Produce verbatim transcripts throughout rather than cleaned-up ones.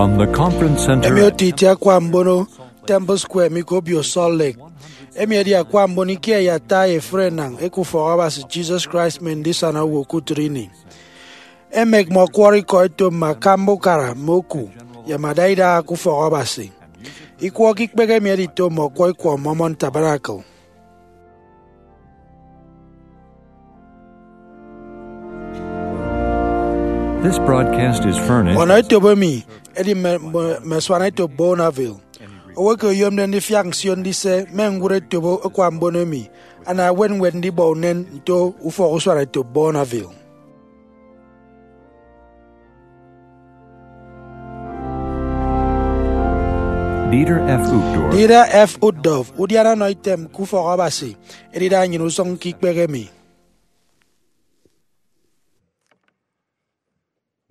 From the Conference Center. Emi oto itie akwa mbono Temple Square mi ke obio Salt Lake. Emi edi akwa mbono ikie ye ata ye efuri enañ eke ufọk Abasi Jesus Christ mme ndisana owo ke utịt ini. Emek mme ọkwọrọ ikọ eto mme akamba ukara mme oku ye mme adaidaha ke ufọk Abasi. Ikwọ ke ikpehe emi edito mme ọkwọ ikwọ Mormon Tabernacle. This broadcast is furnished. Ọnọ etop emi edi mme, mme, mme asuana etop Bonneville. Owo eke oyomde ndifiak nsio ndise mme ñwụre etop akwa mbono emi ana ewet ñwed ndibọ unen nto ufọk usuana etop Bonneville. Dieter F. Uchtdorf. Dieter F. Uchtdorf, udiana ọnọ item ke ufọk Abasi, edida nnyịn usụñ ke ikpehe emi.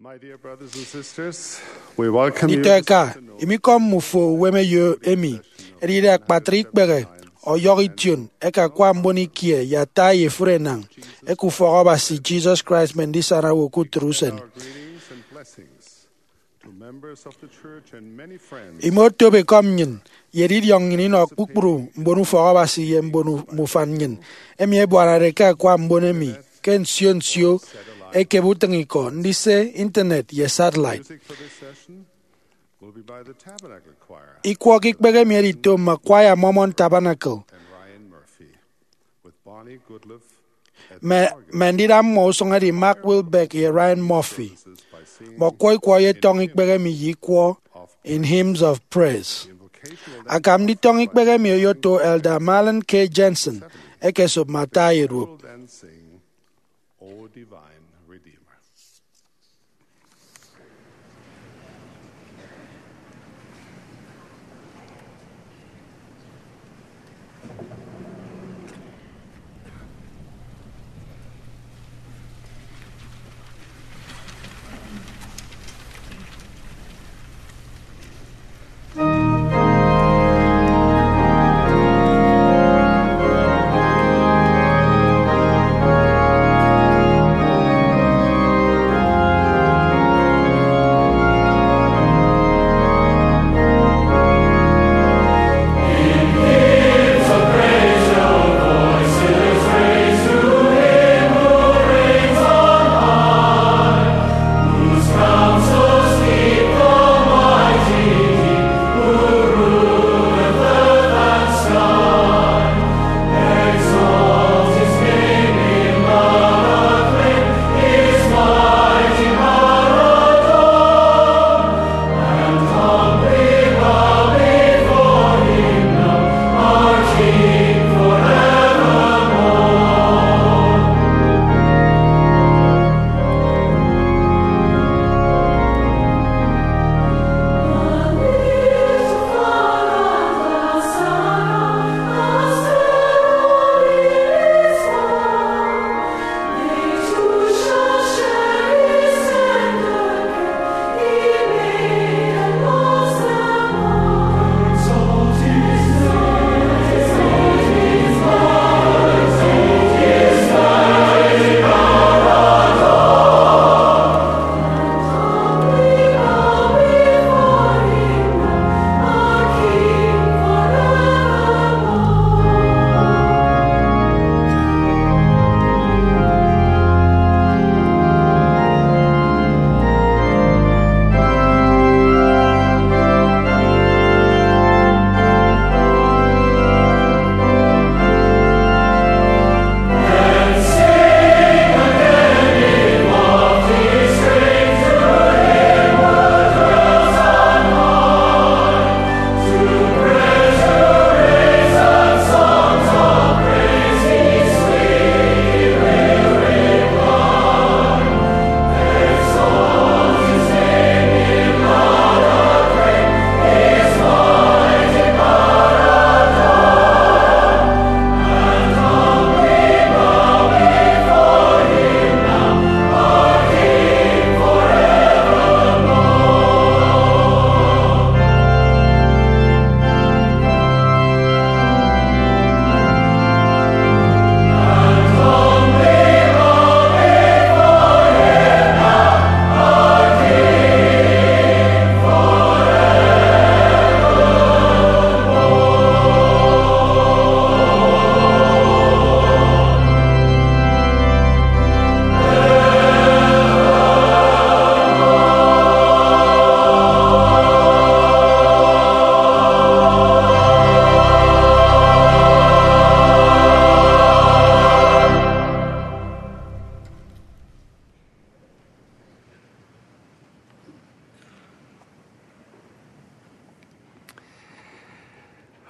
My dear brothers and sisters, we welcome you. Nditọ eka, imikọm mmufo uwem eyo emi edide akpatre ikpehe ọyọhọ ition eke akwa mbono ikie ye ata ye efuri enañ eke ufọk Abasi Jesus Christ mme ndisana owo ke utịt usen. Our greetings and blessings to members of the church and many friends. Ime otop ekọm nnyịn ye edidiọñ nnyịn inọ kpukpru mbon ufọk Abasi ye mbon u-, mme ufan nnyịn emi ebuanade ke akwa mbono emi ke nsio nsio ekebe utịñikọ ndise internet ye satellite. Music for this session will be by the Tabernacle Choir. Ikwọ ke ikpehe emi edito mme kwaya Mormon Tabernacle. And Ryan Murphy with Bonnie Goodlove. Mme, mme ndida mmọ usụñ edi Mark Wilbeck ye Ryan Murphy. Mme ọkwọ ikwọ oyetọñọ ikpehe emi ye ikwọ In Hymns of Praise. Akam nditọñọ ikpehe emi oyoto Elder Marlin K. Jensen, ekesop mme ata ye duop.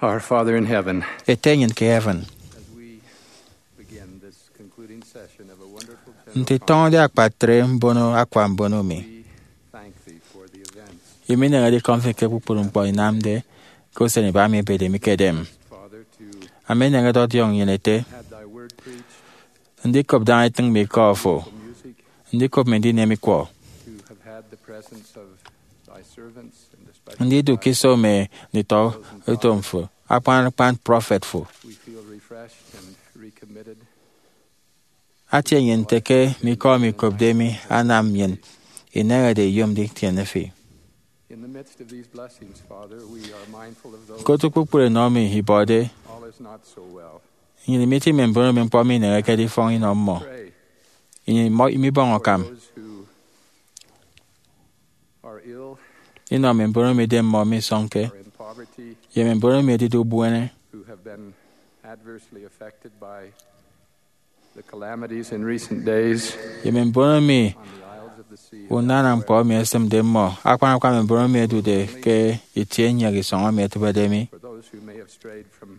Our Father in heaven, Ete nnyịn ke heaven, as we begin this concluding session of a wonderful nte tọñọde akpatre mbono akwa mbono mi, we thank thee for the events. Emi ineñede ikọm fi ke kpukpru ñkpọ inamde ke usen iba mi ebede mi ke edem. Father, to Ama eneñede ọdiọñ nnyịn ete, had thy word preached, ndikop daña etịñ mi ikọ fo, music, ndikop mi ndinem ikwọ, to have had the presence of thy servants, and especially ndidu ke iso mme nditọ utom fo, akpan akpan prọfet fo. We feel refreshed and recommitted. Atie nnyịn nte ke mme ikọ mi ikopde mi anam nnyịn ineñede iyom nditiene fi. In the midst of these blessings, Father, we are mindful of those Ke otu kpukpru enọ mi ibọde, all is not so well. Nnyịn imiti mme mbon emi ñkpọ mineñekede ifọñ inọ mmọ. Pray Nnyịn imọ- imibọñ for akam those who are ill, inọ mme mbon emi idemmọ misọñke, are in poverty, ye mme mbon emi ẹdide ubuene, who have been adversely affected by the calamities in recent days ye mme mbon emi on the isles of the sea. Unana ñkpọ emi esịmde mmọ, akpan akpan mme mbon emi ẹdude ke itie nnyek isọñ emi ẹtịbede mi. For those who may have strayed from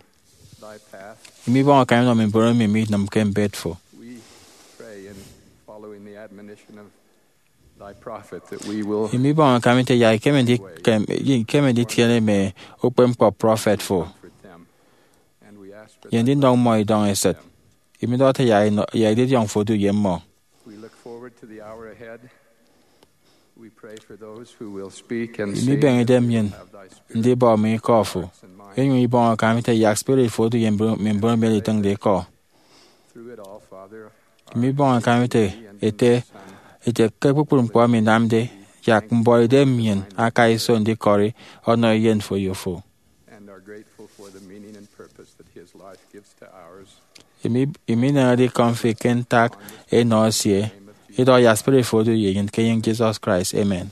thy path, Imibọñ akam inọ mme mbon emi minịmke mbet fo. We pray in following the admonition of thy prophet that we will Imibọñ akam ite yak ikeme ndi- kem- ikeme nditiene mme ukpepñkpọ prọfet fo, comfort them. And we ask for ye thy ndinọñ mmọ idọñ esịt. Imidọhọde yak inọ- yak edidiọñ fo odu ye mmọ. We look forward to the hour ahead. We pray for those who will speak and say Imibeñe that idem they nnyịn have thy spirit ndibọ mme ikọ fo, and minds. Inyụñ ibọñ akam ite yak spirit fo odu ye mbon- mme mbon emi ẹditịñde ikọ. Through it all, Father, Imibọñ akam ite ete ete ke kpukpru ñkpọ emi inamde, yak mbọhọidem nnyịn aka iso ndikọri ọnọ eyen fo ye ofo. And are grateful for the meaning and purpose that his life gives to ours. Imi- imineñede ikọm fi ke ntak enọ esie, idọhọ yak spirit fo odu ye nnyịn ke enyịñ Jesus Christ. Amen.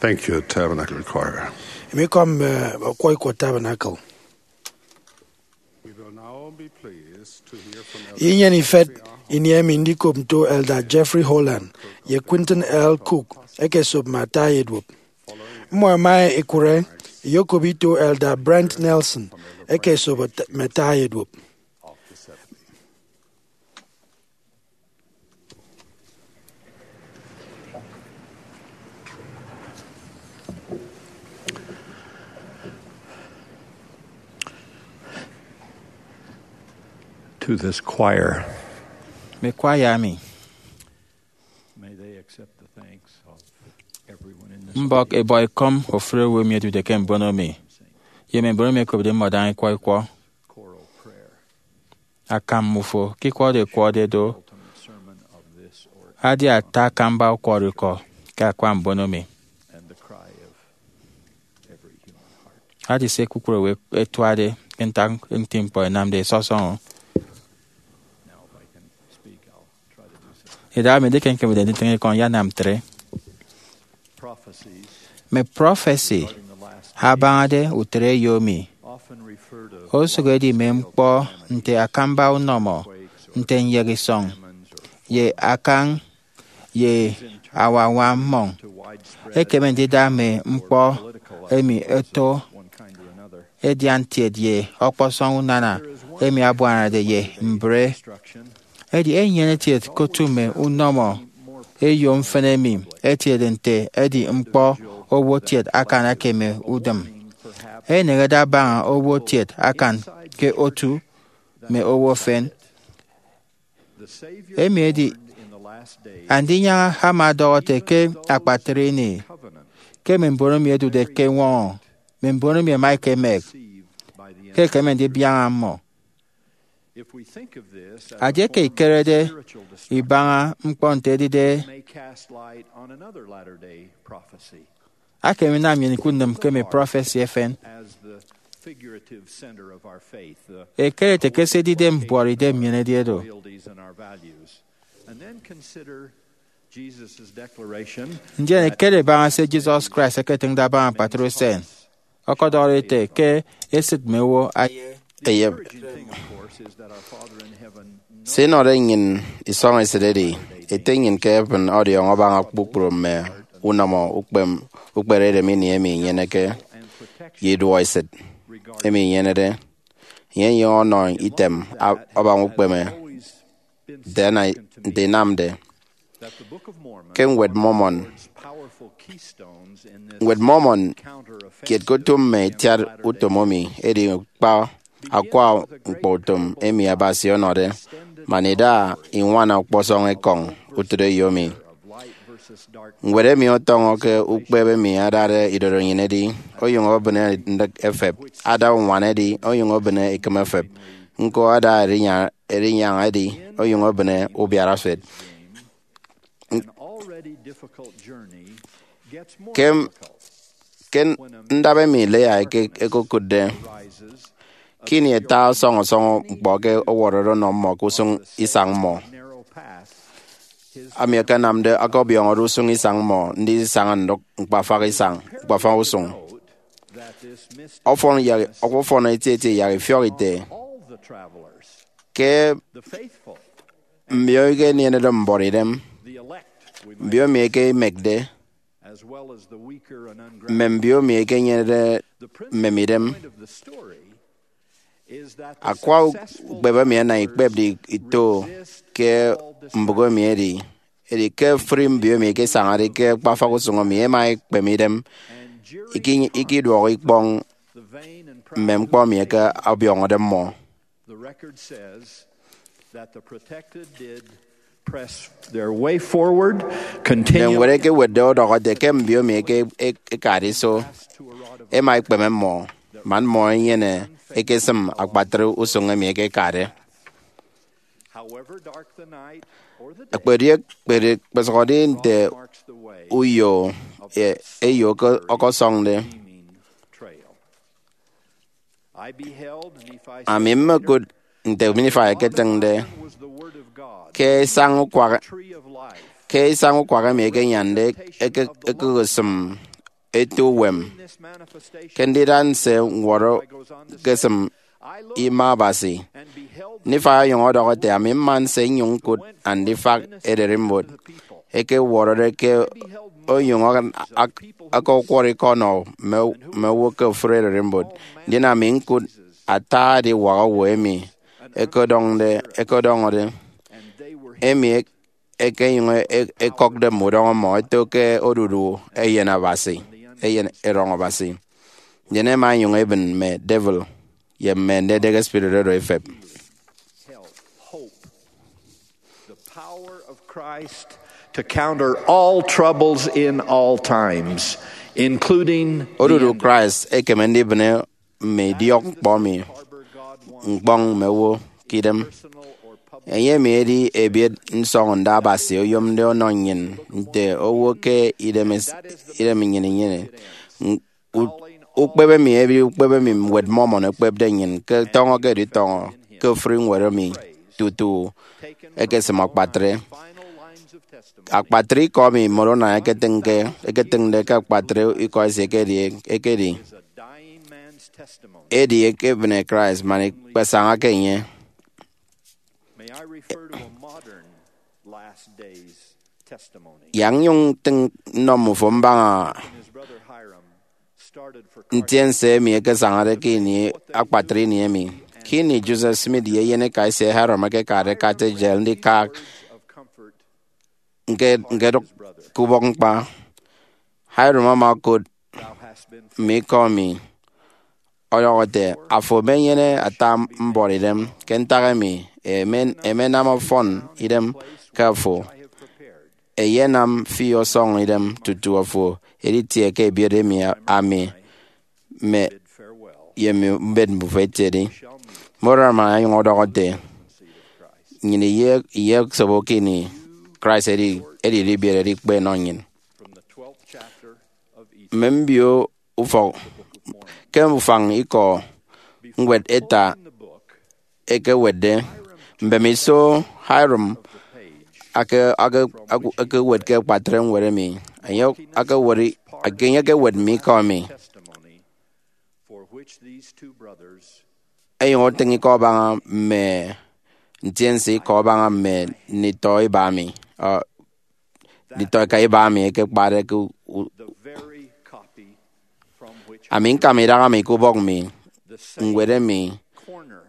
Thank you, Tabernacle Choir. Emi ikọ mme ọkwọ ikọ Tabernacle. Inyene ifet ini emi ndikop nto Elder Jeffrey Holland ye Quentin L. Cook eke esop mme ata eduop. Mmọ ẹma ẹkụre iyokop ito Elder Brent Nelson eke esop mme ata eduop. To this choir. Mme kwaya emi. May they accept the thanks of everyone in this Mbọk audience. Ebọ ekọm ofụri owo emi ẹdude ke mbono mi, ye mme mbon emi ẹkopde mmọ daña ikwọ ikwọ. Choral prayer. Akam mmufo ke ikwọde ekwọde do, adi ata akamba ukwọrọikọ ke akwa mbono mi. Adi se kpukpru owo ẹtuade ke ntak nti ñkpọ ẹnamde ẹsọsọñọ. Ida mi edi ke ñkemede nditịñ ikọ nyanam ntre. Mme prọfesi abañade utịt eyo mi osụk edi mme ñkpọ nte akamba unọmọ, nte nyek isọñ, ye akañ, ye awañwa mmọñ. Ekeme ndida mme ñkpọ emi ẹto ẹdian kiet ye ọkpọsọñ unana emi abuanade ye mbre. Edi enyene kiet ke otu mme unọmọ eyo mfịn emi ẹtiede nte ẹdi ñkpọ owo kiet akan akeme udịm. Eneñede abaña owo kiet akan ke otu mme owo efen. Emi edi Andinyaña ama ọdọhọ ete ke akpatre ini ke mme mbon emi ẹdude ke eñwọñọ, mme mbon emi ẹma ẹkemek, ke ẹkeme ndibiaña mmọ. Adieke ikerede ibaña ñkpọ nte edide, akeme inam nnyịn ikụt nnịm ke mme prọfesi efen. Ekere ete ke se edide mbuọtidem nnyịn edi edo. Ndien ekere baña se Jesus Christ eketịñde abaña akpatre usen, ọkọdọhọde ete ke esịt mme owo aye eyep. Se inọde nnyịn isọñ esịt edi, Ete nnyịn ke heaven ọdiọñọ abaña kpukpru mme unọmọ ukpem, ukperedem ini emi inyeneke, ye iduọesịt emi inyenede. Enye enyụñ ọnọ item a-, abaña ukpeme nte ana-, nte inamde. Ke Ñwed Mormon, Ñwed Mormon kiet ke otu mme itiat utom emi edi kpa akwa ñkpọutom emi Abasi ọnọde, man ida iñwana ọkpọsọñ ekọñ utịt eyo mi. Ñwed emi ọtọñọ ke ukpep emi adade idorenyin edi, onyụñ obịne ndịk efep, ada uñwana edi, onyụñ obịne ikịm efep, ñko ada erinya-, erinyaña edi, onyụñ obịne ubiarafet. Ke, ke ndap emi Leah eke-, ekokụtde, ke ini ata ọsọñọ ọsọñọ ñkpọ ke ọwọrọde ọnọ mmọ ke usụñ isañ mmọ, ami akanamde ọkọbiọñọde usụñ isañ mmọ ndisaña ndụk ñkpafak isañ, ñkpafak usụñ. Ọfọn yak, ọfọn etieti yak ifiọk ite ke mbio eke enienede mbuọtidem, mbio emi eke imekde, mme mbio emi eke enyenede mmemidem. Akwa ukpep emi ẹnam ikpepde ito ke mbụk emi edi, edi ke ofụri mbio emi eke isañade ke ñkpafak usụñ emi ẹma ẹkpeme idem, iki-, ikiduọk ikpọñ mme ñkpọ emi eke ọbiọñọde mmọ. The record says that the protected did press their way forward, Mme continually. Ñwed ekewetde ọdọhọ ete ke mbio emi eke, ek-, ekade iso, ẹma ẹkpeme mmọ, man mmọ ẹnyene ekesịm akpatre usụñ emi eke ekade. However dark the night or the day, Ekpedi ekpedi ekpesụhọde nte marks the way uyo of e-, eyo ke ọkọsọñde. Trail. Ami mmekụt nte Nifai eketịñde ke isañ ukwak, ke isañ ukwak emi ekenyande eke-, ekekesịm eto uwem ke ndida nse ñwọrọ ke esịm ima Abasi. Nifai ọnyụñ ọdọhọ ete, ami mma nse nnyụñ ñkụt andifak ererimbot eke ẹwọrọde ke onyụñ ak-, ak-, akakwọrọ ikọ ọnọ mme, mme owo ke ofụri ererimbot. Ndien ami ñkụt ata ediwak owo emi ẹkọdọñde, ẹkọdọñọde, emi ẹk-, ẹkenyụñ e-, ẹkọkde mme udọñọ mmọ ẹto ke odudu eyen Abasi, eyen erọñ Abasi. Ndien ẹma ẹnyụñ ẹbịn mme devil ye mme andidek spirit oro ẹfep. The power of Christ to counter all troubles in all times, including the Odudu end. Christ ekeme ndibịne mme idiọk ñkpọ mi ñkpọñ mme owo ke idem. Enye emi edi ebiet nsọñọnda Abasi oyomde ọnọ nnyịn nte owo ke idem es-, idem nnyịn inyene. U-, ukpep emi edi ukpep emi Ñwed Mormon ekpepde nnyịn ke tọñọ ke editọñọ ke ofụri ñwed emi tutu ekesịm akpatre. Akpatre ikọ emi Moroni eketịñke, eketịñde ke akpatre ikọ esie ekedi, ekedi, edi ekebịne Christ man ikpesañake enye. May I refer to a modern last days testimony? Yak nnyụñ ntịñ nnọ mmufo mbaña His brother Hyrum started for ntiense emi ekesañade ke ini akpatre ini emi. Ke ini Joseph Smith ye eyeneka esie Hyrum ẹkekade Carthage Jail ndika of comfort, ñke-, ñkedụk ke ubọk ñkpa, Hyrum ama okot thou hast been mme ikọ mi ọdọhọ ete, afo emenyene ata mbuọtidem. Ke ntak emi? Emen-, emenam ọfọn idem ke afo. I have prepared. Eyenam fi ọsọñ idem tutu afo editie ke ebiet emi ami mme Farewell. ye mme mbet mbufo etiede. Moroni ama ọnyụñ ọdọhọ ete, nnyịn iye, iye sobo ke ini Christ edi, edide ibiere edikpe enọ nnyịn. From the twelfth chapter of Ezekiel. Mme mbio ufọk ke ufañ ikọ ñwed eta In the book, ekewetde. Mbemiso Hyrum ake, ake, ake, ekewet ke akpatre ñwed emi, enye akewet, ake, enye ekewet mme ikọ emi. Testimony for which these two brothers Enyụñ otịñ ikọ abaña mme ntiense ikọ abaña mme nditọ iba mi, uh, nditọ eka iba mi ekekpade ke u-, u-, the very copy from which ami ñkama idaha mi ke ubọk mi, the same ñwed emi corner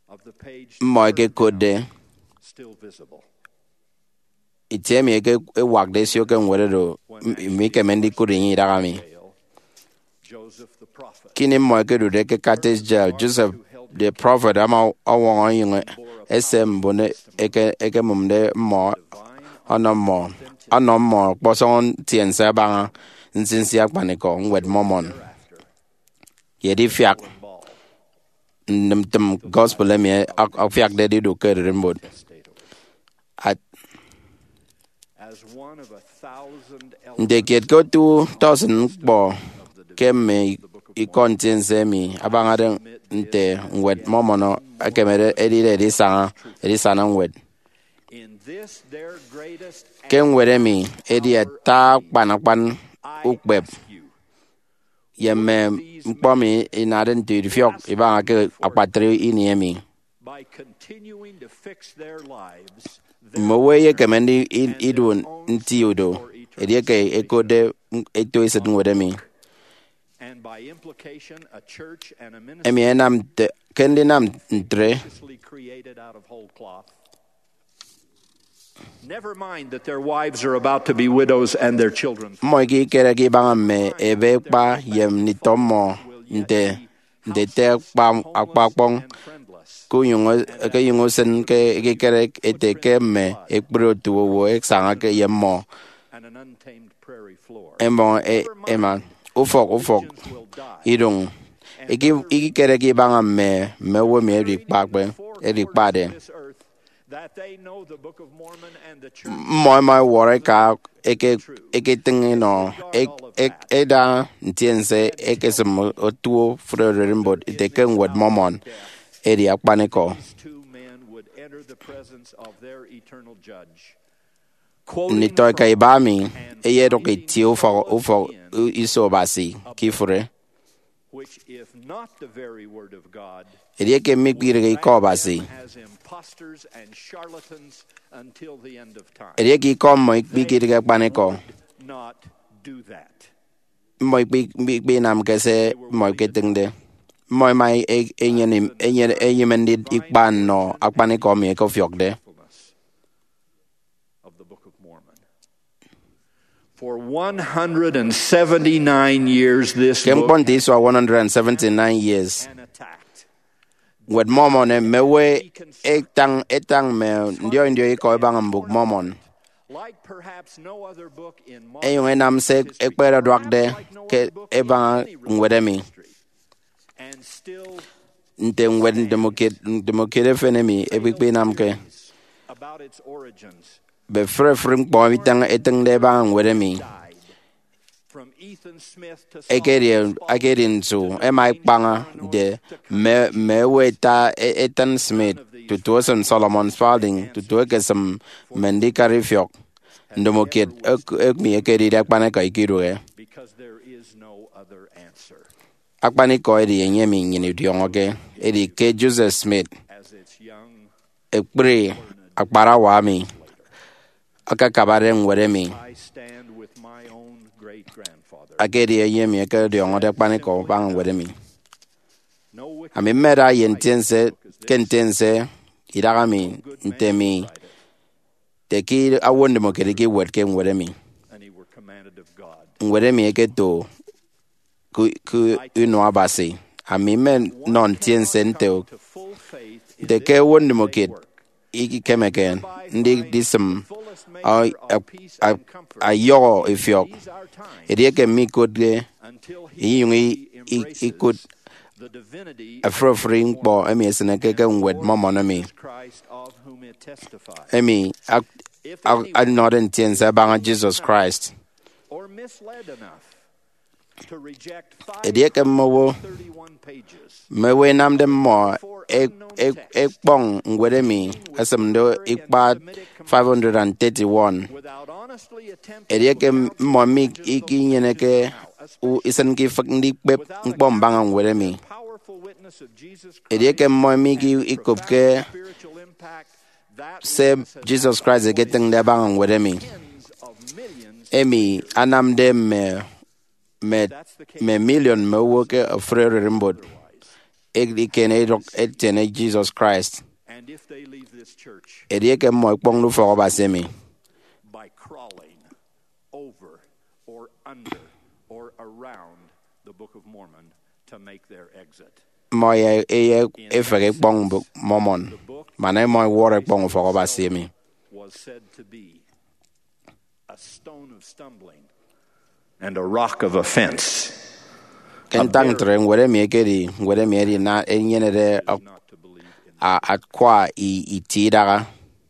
of the page mmọ ekekotde. Still visible. Itie emi eke ewakde esio ke ñwed oro, m-, mikeme ndikụt enye idaha mi. Joseph the prophet. Ke ini mmọ ekedude ke Carthage Jail, Joseph the prophet ama ọwọñọ enyịñ ese mbon eke, ekemụmde mmọ ọnọ mmọ, ọnọ mmọ ọkpọsọñ ntiense abaña nsinsi akpanikọ ñwed Mormon ye edifiak ntịmtịm gospel emi ak-, afiakde edidụk ke ererimbot. At-, As one of a thousand nte kiet ke otu tọsịn ñkpọ ke mme ikọ ntiense emi abañade nte ñwed Mormon ekemede edide edisaña, edisana ñwed. In this their greatest Ke ñwed emi edi ata akpan akpan ukpep ye mme ñkpọ mi inade nte idifiọk ibaña ke akpatre ini emi. By continuing to fix their lives Mme owo eyekeme ndi-, i-, idu nti udo edieke ekotde eto esịt ñwed emi. and by implication a church and a Emi ministry enam nte, ke ndinam ntre, created out of whole cloth. Never mind that their wives are about to be widows and their children. Mmọ ikikereke ibaña mme ebe ekpa ye nditọ mmọ nte, nte ete akpa, akpa akpọñ, And friendless ke unyụñ, ke enyụñ usịn ke ekikere ete ke mme ekpri otu owo ẹsañake ye mmọ and an untamed prairie floor. ẹmọ e-, ẹma. Ufọk ufọk, idụñ iki-, ikikereke ibaña mme, mme owo emi edikpakpe, edikpade. This earth, that they know the Book of Mormon and the church. Mmọ ẹma ẹwọrọ eka eke, eketịñ enọ e-, e-, eda ntiense ekesịm otuo ofụri ererimbot ete ke ñwed Mormon edi akpanikọ. Two men would enter the presence of their eternal judge. Nditọeka iba mi ẹyedụk itie ufọk ufọk iso Abasi ke ifụre. Edieke mikpidịghe ikọ Abasi, edieke ikọ mmọ ikpikidịghe akpanikọ, mmọ ikpi- ikpi- ikpinamke se mmọ iketịñde. Mmọ ẹma e- enyene- enyene- enyịme ndikpa nnọ akpanikọ emi ẹkefiọkde. For one hundred and seventy-nine years, this Ke ñkpọ nte isua one hundred and seventy-nine years, Nwet Mormon mme owo ẹtañ ẹtañ mme ndiọi ndiọi ikọ ẹbaña Mbụk Mormon, like perhaps no other book in modern enyụñ enam se ekpereduakde ke ebaña ñwed emi. And still nte ñwed ndomokiet ndomokiet efen emi ekpikpe inamke. About its origins. Be fre fre ñkpọ emi etañ- etịñde ebaña ñwed emi. From Ethan Smith to ekedi Solomon, ekedi nsu ẹma ẹkpaña de mme mme ewe eta e- Ethan Smith tutu esịm Solomon Spaulding tutu ekesịm mme ndikara ifiọk ndomokiet emi ekedide akpanikọ ikidụhe. Because there is no other answer. Akpanikọ edi enye emi nnyịn idiọñọke edi ke Joseph Smith, as its young ekpri akparawa emi akakabade ñwed emi. I stand with my own great grandfather. Akedi enye emi ekediọñọde akpanikọ abaña ñwed emi. Ami mmeda ye ntiense ke ntiense idaha mi nte mi te ke owo ndomokiet ikiwetke ñwed emi. Ñwed emi eketo ku- ku inua Abasi. Ami mmenọ ntiense nte nte ke owo ndomokiet ikikemeke ndidisịm a- a- a- ayọhọ ifiọk edieke mikotde inyụñ i- i- ikụt efuri efuri ñkpọ emi esịneke ke ñwed Mormon emi, emi a- a- anọde ntiense abaña Jesus Christ. Edieke mme owo mme owo inamde mmọ e- e- ekpọñ ñwed emi esịmde ikpat five hundred and thirty-one, edieke mmọ mi ikinyeneke u- isịn ke ifịk ndikpep ñkpọ mbaña ñwed emi, edieke mmọ mi ikopke se Jesus Christ eketịñde abaña ñwed emi, emi anamde mme mme mme miliọn mme owo ke ofụri ererimbot edikan idụk etiene Jesus Christ. Edieke mmọ ẹkpọñde ufọk Abasi emi, by crawling over or under or around the Book of Mormon to make their exit. Mmọ ẹyefehe ikpọñ Mbụk Mormon man mmọ ẹwọrọ ikpọñ ufọk Abasi emi. Was said to be a stone of stumbling and a rock of offense. Ke ntak ntre, ñwed emi ekedi ñwed emi edina enyenede ak- a- akwa i- itie idaha.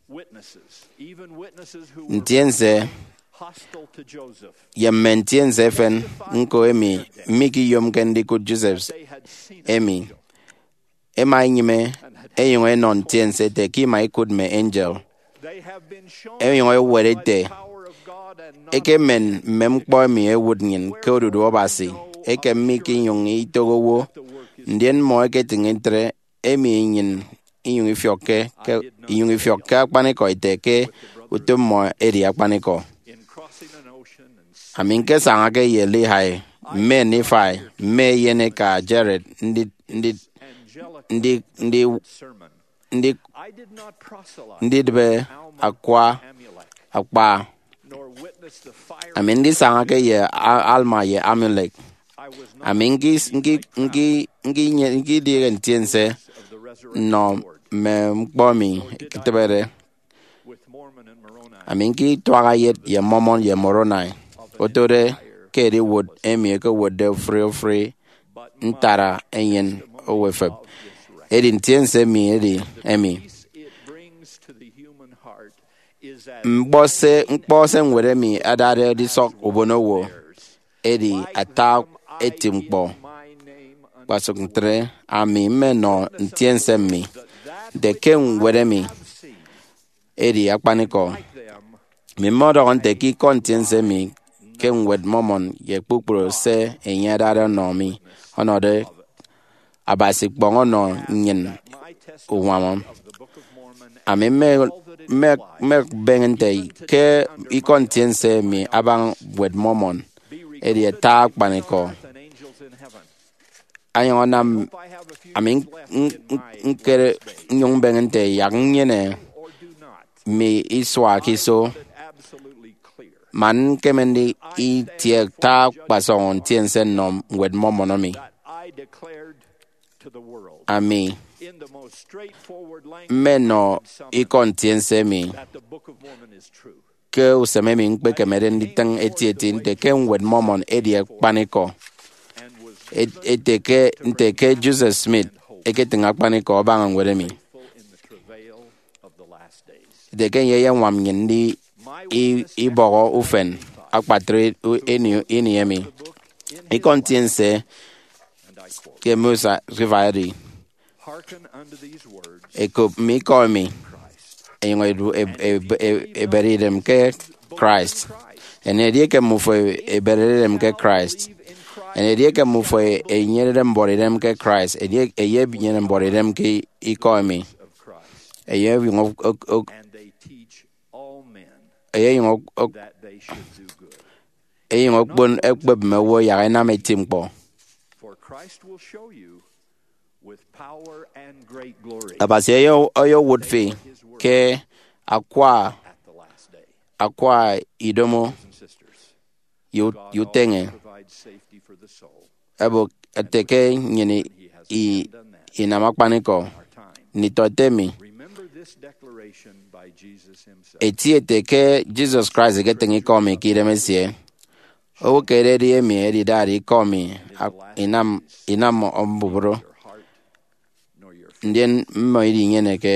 Witnesses, even witnesses who were Ntiense hostile to Joseph, ye mme ntiense efen ñko emi mikiyomke ndikụt Joseph they had seen an emi angel. Ẹma ẹnyịme ẹnyụñ ẹnọ ntiense ete ke ima ikụt mme angel. Ẹnyụñ ẹwet ete, ekemen mme ñkpọ emi ẹwụt nnyịn ke odudu Abasi, ekem mikinyụñ itoho owo, ndien mmọ ẹketịñ ntre, emi nnyịn inyụñ ifiọkke ke inyụñ ifiọkke akpanikọ ete ke utom mmọ edi akpanikọ. Ami ñkesañake ye Lehi, mme Nifai, mme eyeneka Jared, ndi ndi ndi ndi ndi ndidịbe akwa akpa. Ami ndisañake ye A- Alma ye Amulek. Ami nki nki nki nki nye- nkidịghe ntiense nnọ mme ñkpọ emi eketịbede. Ami ñkituaha yet ye Mormon ye Moroni, otode ke ediwot emi ekewotde ofụri ofụri ntara eyen owo efep. Edi ntiense emi edi emi. Ñkpọ se ñkpọ se ñwed emi adade edisọk ubonowo edi ata eti ñkpọ. Kpasụk ntre, ami mmenọ ntiense mmi nte ke ñwed emi edi akpanikọ. Mi mmọdọhọ nte ke ikọ ntiense mi ke Ñwed Mormon ye kpukpru se enye adade ọnọ mi ọnọde Abasi ikpọñ ọnọ nnyịn uñwam. Ami mme- mme- mmebeñe nte ke ikọ ntiense mi abaña Ñwed Mormon edi ata akpanikọ. Anyụñ anam ami ñkere nnyụñ mbeñe nte yak nnyene mi isua ke iso, man ñkeme nditie ata akpasọñ ntiense nnọ Ñwed Mormon emi. Ami mmenọ ikọ ntiense emi ke usem emi ñkpekemede nditịñ etieti nte ke Ñwed Mormon edi akpanikọ, ete ke nte ke Joseph Smith eketịñ akpanikọ abaña ñwed emi, ete ke enye eyeñwam nnyịn ndi ibọhọ ufen akpatre ini emi. Ikọ ntiense ke Musa River edi, ekop mme ikọ emi, enyụñ edu- eb- eb- eb- ebere idem ke Christ. Enyịn edieke mmufo eberede idem ke Christ, enyịn edieke mmufo enyenede mbuọtidem ke Christ, edi- eyebnyene mbuọtidem ke ikọ emi. Eyeyụñ ok- ok- ok- eyeyụñ ok- ok- eyeyụñ okpon ekpep mme owo yak ẹnam eti ñkpọ. Abasi ọyọ- ọyọwụt fi ke akwa akwa idomo ye ut- ye uteñe. Ebok ete ke nnyịn i- inam akpanikọ nditọete mi. Eti ete ke Jesus Christ eketịñ ikọ mi ke idemesie. Owo ke ededi emi edidade ikọ mi ak- inam inam mbubru, ndien mmọ idinyeneke.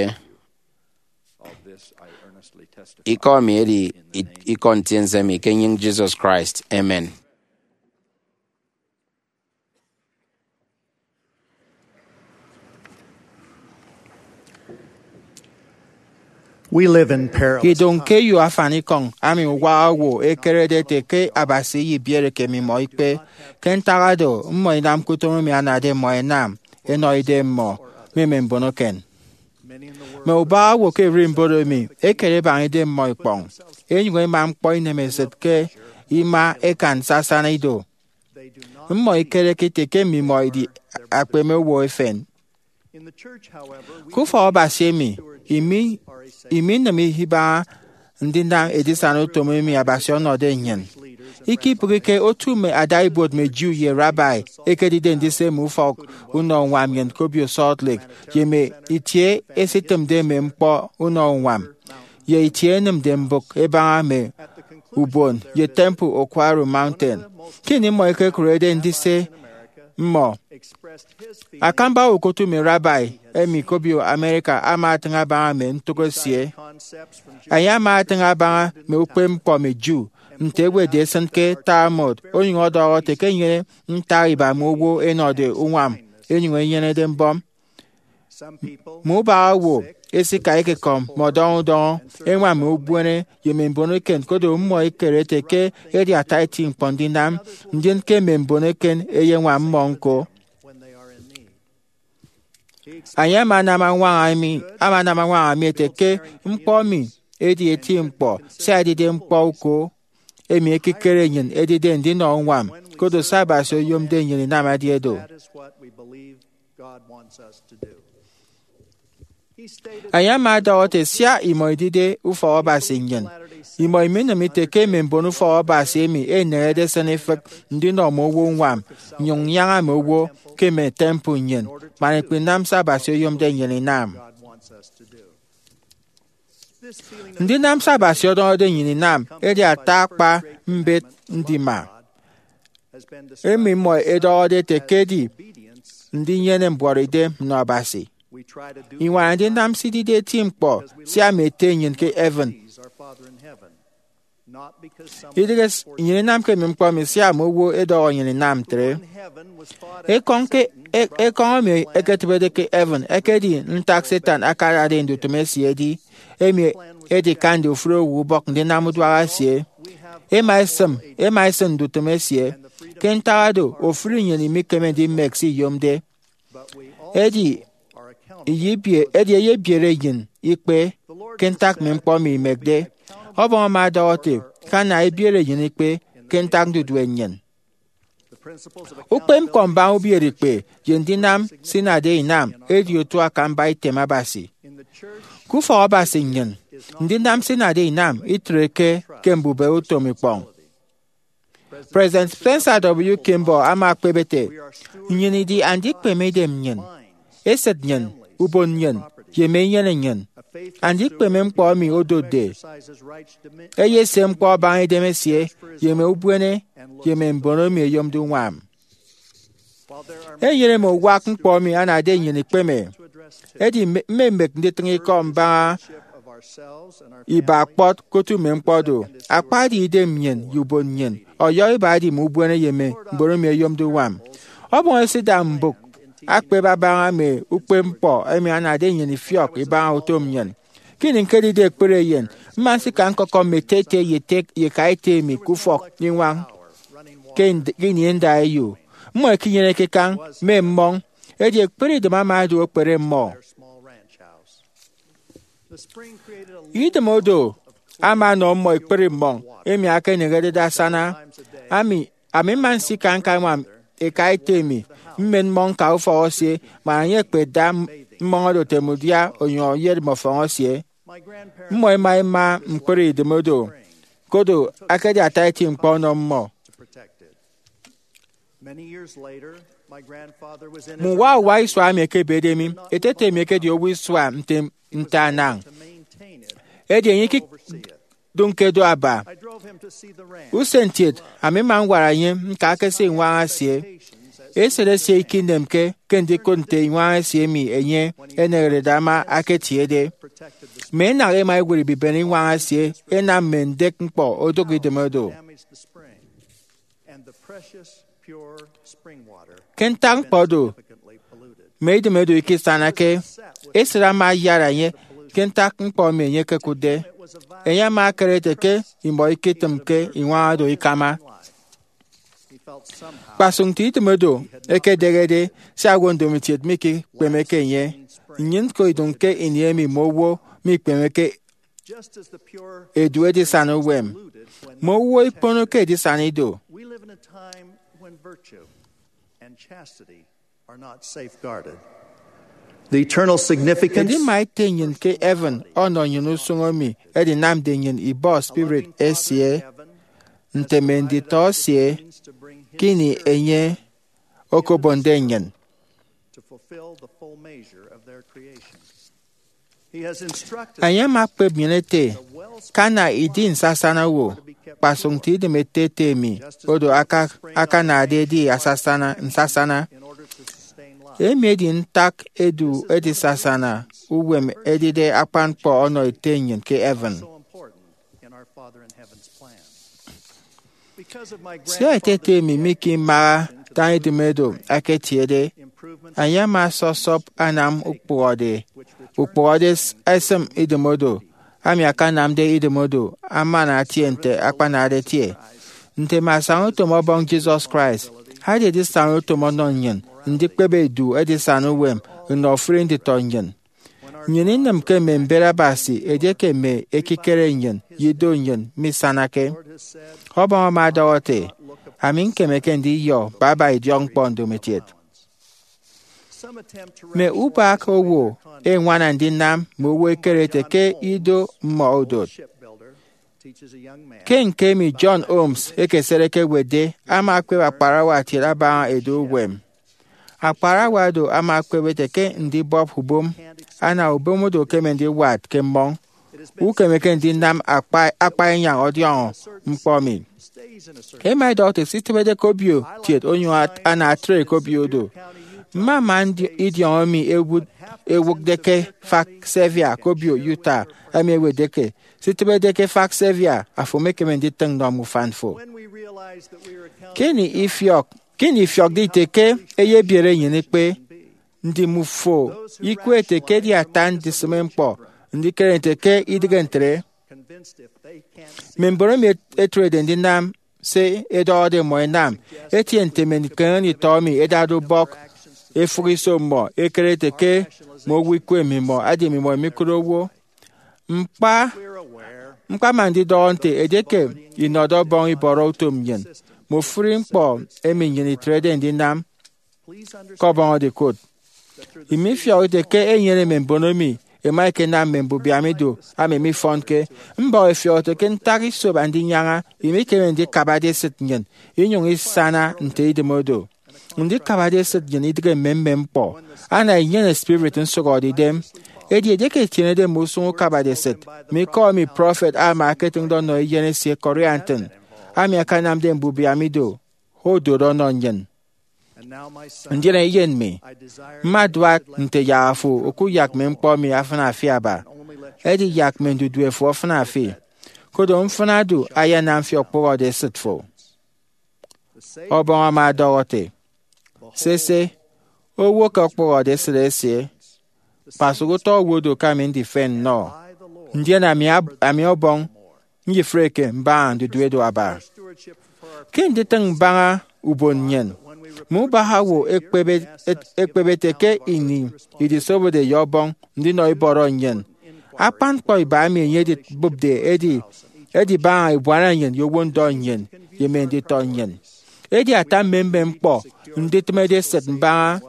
Ikọ mi edi i- ikọ ntiense mi ke enyịñ Jesus Christ. Amen. We live in perilous Idoñ ke eyo afanikọñ ami uwa owo ekerede ete ke Abasi iyibiere ke mmimọ ikpe. Ke ntak oro, mmọ inamke utom emi anade mmọ ẹnam ẹnọ idemmọ mme mme mbon eken. Mme ubak owo ke ererimbot emi ekere ebaña idemmọ ikpọñ, enyụñ ẹma ñkpọ inemesịt ke ima ẹkan sasana ido. Mmọ ikereke ete ke mmimọ idi akpeme owo efen. Ke ufọk Abasi emi, imi iminịm ibaña ndinam edisana utom emi Abasi ọnọde nnyịn. Ikebịghike otu mme adaibuot mme Jew ye Rabbi ẹkedide ndise mme ufọk unọ uñwam nnyịn ke obio Salt Lake, ye mme itie ẹsitịmde mme ñkpọ unọ uñwam, ye itie ẹnịmde mbụk ẹbaña mme ubon ye Temple Oquirrh Mountain. Ke ini mmọ ẹkekụrede ndise mmọ, akamba ukotu mme Rabbi emi ke obio America ama atịñ abaña mme ntụk esie. Enye ama atịñ abaña mme ukpepñkpọ mme Jew, nte ẹwetde ẹsịn ke Talmud, onyụñ ọdọhọ ete ke enyene ntak iba mme owo ẹnọde uñwam ẹnyụñ ẹnyenede mbọm. Mme ubak owo ẹsika ẹkekọm mme ọdọñọ udọñọ, ẹñwam mme ubuene ye mme mbon eken, koro mmọ ẹkere ete ke edi ata eti ñkpọ ndinam, ndien ke mme mbon eken ẹyeñwam mmọ ñko. Enye ama anam añwaña mi, ama anam añwaña mi ete ke ñkpọ emi edi eti ñkpọ, sia edide ñkpọ uko emi ekikere nnyịn edide ndinọ uñwam, koro se Abasi oyomde nnyịn inam edi oro. Enye ama ọdọhọ ete, sia imọ idide ufọk Abasi nnyịn, imọ iminịm ite ke mme mbon ufọk Abasi emi ẹneñede ẹsịn ifịk ndinọ mme owo uñwam, nnyụñ nnyaña mme owo ke mme temple nnyịn, man ikpinam se Abasi oyomde nnyịn inam. Ndinam se Abasi ọdọñọde nnyịn inam edi ata akpa mbet ndima emi mmọ ẹdọhọde ete ke edi ndinyene mbuọtidem nnọ Abasi. Iñwaña ndinam se idide eti ñkpọ sia mme ete nnyịn ke heaven Idịghe s- nnyịn inamke mme ñkpọ emi sia mme owo ẹdọhọ nnyịn inam ntre. Ekọñ ke e- ekọñ emi ẹketịbede ke heaven ekedi ntak Satan akadade ndutịm esie edi, emi edikande ofụri owo ubọk ndinam uduak esie. Ema esịm ema esịn ndutịm esie. Ke ntak oro, ofụri nnyịn imikeme ndimek se iyomde. Edi iyebie- edi eyebiere nnyịn ikpe ke ntak mme ñkpọ emi imekde. Ọbọñ ama ọdọhọ ete ke ana ebiere nnyịn ikpe ke ntak ndudue nnyịn. Ukpepñkpọ mbaña ubiereikpe ye ndinam se inade inam edi otu akamba item Abasi. Ke ufọk Abasi nnyịn, ndinam se inade inam itreke ke mbubehe utom ikpọñ. President Spencer W. Kimball ama ekpep ete, nnyịn idi andikpeme idem nnyịn, esịt nnyịn, ubon nnyịn, ye mme inyene nnyịn. Andikpeme ñkpọ emi odotde eyesie ñkpọ abaña idem esie ye mme ubuene ye mme mbon emi ẹyomde uñwam. Enyene mme uwak ñkpọ emi anade nnyịn ikpeme, edi mme- mmemek nditịñ ikọ mbaña iba kpọt ke otu mme ñkpọ do. Akpade idem nnyịn ye ubon nnyịn, ọyọhọ iba edi mme ubuene ye mme mbon emi ẹyomde uñwam. Ọbọñ esida mbụk akpep abaña mme ukpepñkpọ emi anade nnyịn ifiọk ibaña utom nnyịn. Ke ini ñkedide ekpere eyen, mma nsika ñkọkọm mme ete ete ye ete ye eka ete emi ke ufọk iñwañ ke ind- ke ini ndaeyo. Mmọ ikinyeneke kañ mme mmọñ, edi ekpere idem ama odu ekpere mmọ. Idem odo ama ọnọ mmọ ekpri mmọñ emi akanehedede asana. Ami, ami mma nsika ñkañwam eka ete emi, mmen mmọñ ñka ufọk esie, man enye ekpetda mmọñ oro otem udia onyụñ eyet mme ọfọñ esie. Mmọ ẹma ẹma ñkpri idem odo, kodo akedi ata eti ñkpọ ọnọ mmọ. Mme uwa uwa isua emi ẹkebede mi, ete ete mi ekedi owo isua nte nte anañ, edi enye ikidụñke do aba. Usen kiet, ami mma ñwara enye ñka ke se iñwaña esie. Esịt esie ikinemke ke ndikụt nte iñwaña esie emi enye eneñerede ama aketiede. Mme inañ ẹma ẹwụt ibiben iñwaña esie ẹnam mme ndek ñkpọ odụk idem odo. Ke ntak ñkpọ do, mme idem edu ikisanake. Esịt ama ayara enye ke ntak ñkpọ emi enye ekekụtde. Enye ama akere ete ke imọ iketịmke iñwaña do ikama. Kpasụk nte idem odo ekedehede, sia owo ndomokiet mikikpemeke enye. Nnyịn ñko idụñ ke ini emi mme owo mikpemeke edu edisana uwem. Mme owo ikponoke edisana ido. The eternal significance. Edima ete nnyịn ke heaven ọnọ nnyịn usụñ emi edinamde nnyịn ibọ spirit esie nte mme nditọ esie ke ini enye okobonde nnyịn. Enye ama ekpep nnyịn ete ke ana idi nsasana owo, kpasụk nte idem ete ete emi odo aka- akanade edi asasana nsasana. Emi edi ntak edu edisasana uwem edide akpan ñkpọ ọnọ ete nnyịn ke heaven. Sia ete ete emi mikimaha daña idem odo aketiede, enye ama sọsọp anam ukpụhọde ukpụhọde s- esịm idem odo, ami akanamde idem odo amana atie nte akpanade etie. Nte mme asañautom Ọbọñ Jesus Christ, adi edisana utom ọnọ nnyịn ndikpep edu edisana uwem nnọ ofụri nditọ nnyịn. Nnyịn inịmke mme mbet Abasi edieke mme ekikere nnyịn ye ido nnyịn misanake. Ọbọñ ama ọdọhọ ete, ami ñkemeke ndiyọ baba idiọkñkpọ ndomokiet. Mme ubak owo ẹñwana ndinam mme owo ẹkere ete ke ido mmọ odot. Ke ñke emi John Holmes ekesede ekewetde, ama ekpep akparawa kiet abaña edu uwem. Akparawa do ama ekpep ete ke ndibọp ubom ana ubom odo okeme ndiwat ke mmọñ. Ukemeke ndinam akpa akpa inyañ ọdiọñọ ñkpọ mi. Ema idọhọ ete se itịbede ke obio kiet onyụñ at- ana atre ke obio odo. Mmama idiọñọ emi ewụkde ke efak Sevier ke obio Utah, emi ewetde ke, sitịbede ke efak Sevier, afo emekeme nditịñ nnọ mme ufan fo. Ke ini ifiọk ke ini ifiọkde ite ke eyebiere nnyịn ikpe, ndi mmọ fo ikwe ete ke edi ata ndisịme ñkpọ ndikere nte ke idịghe ntre? Mme mbon emi ẹtrede ndinam se ẹdọhọde mmọ ẹnam etie nte mme ndiñkeñeñede itọ emi ẹdade ubọk efụk iso mmọ ẹkere ete ke mme owo ikwe mmimọ, edi mmimọ imikụre owo. Ñkpa ñkpama ndidọhọ nte edieke inọde Ọbọñ ibọrọ utom nnyịn, mme ofụri ñkpọ emi nnyịn itrede ndinam ke Ọbọñ edi kụt. Imi ifiọk ite ke enyene mme mbon emi ẹma ẹkenam mme mbubiam ido emi mifọnke. Mbọhọ ifiọk ite ke ntak isop Andinyaña, imikeme ndikabade esịt nnyịn inyụñ isana nte idem odo. Ndikabade esịt nnyịn idịghe mmemmem ñkpọ, ana inyene spirit nsụhọdeidem. Edi edieke itienede mme usụñ ukabade esịt, mme ikọ emi prọfet Alma eketịñde ọnọ eyen esie Corianton, ami akanamde mbubiam ido, odot ọnọ nnyịn. Ndien eyen mi, mma aduak nte yak afo okuyak mme ñkpọ emi afịna fi aba. Edi yak mme ndudue fo afịna fi. Kodo mfịna do ayanam fi okpụhọde esịt fo. Ọbọñ ama ọdọhọ ete, sese, owo ke okpụhọde esịt esie, kpasụk utọ owo do ke ami ndifen nnọ, ndien ami Ọbọñ nyifreke mbaña ndudue do aba. Ke nditịñ mbaña ubon nnyịn, mme ubak owo ekpep ete ke ini idisobode ye Ọbọñ ndinọ ibọrọ nnyịn, akpan ñkpọ iba emi enye edibụpde edi edibaña ebuana nnyịn ye owo ndọ nnyịn ye mme nditọ nnyịn. Edi ata mmemmem ñkpọ nditịmede esịt mbaña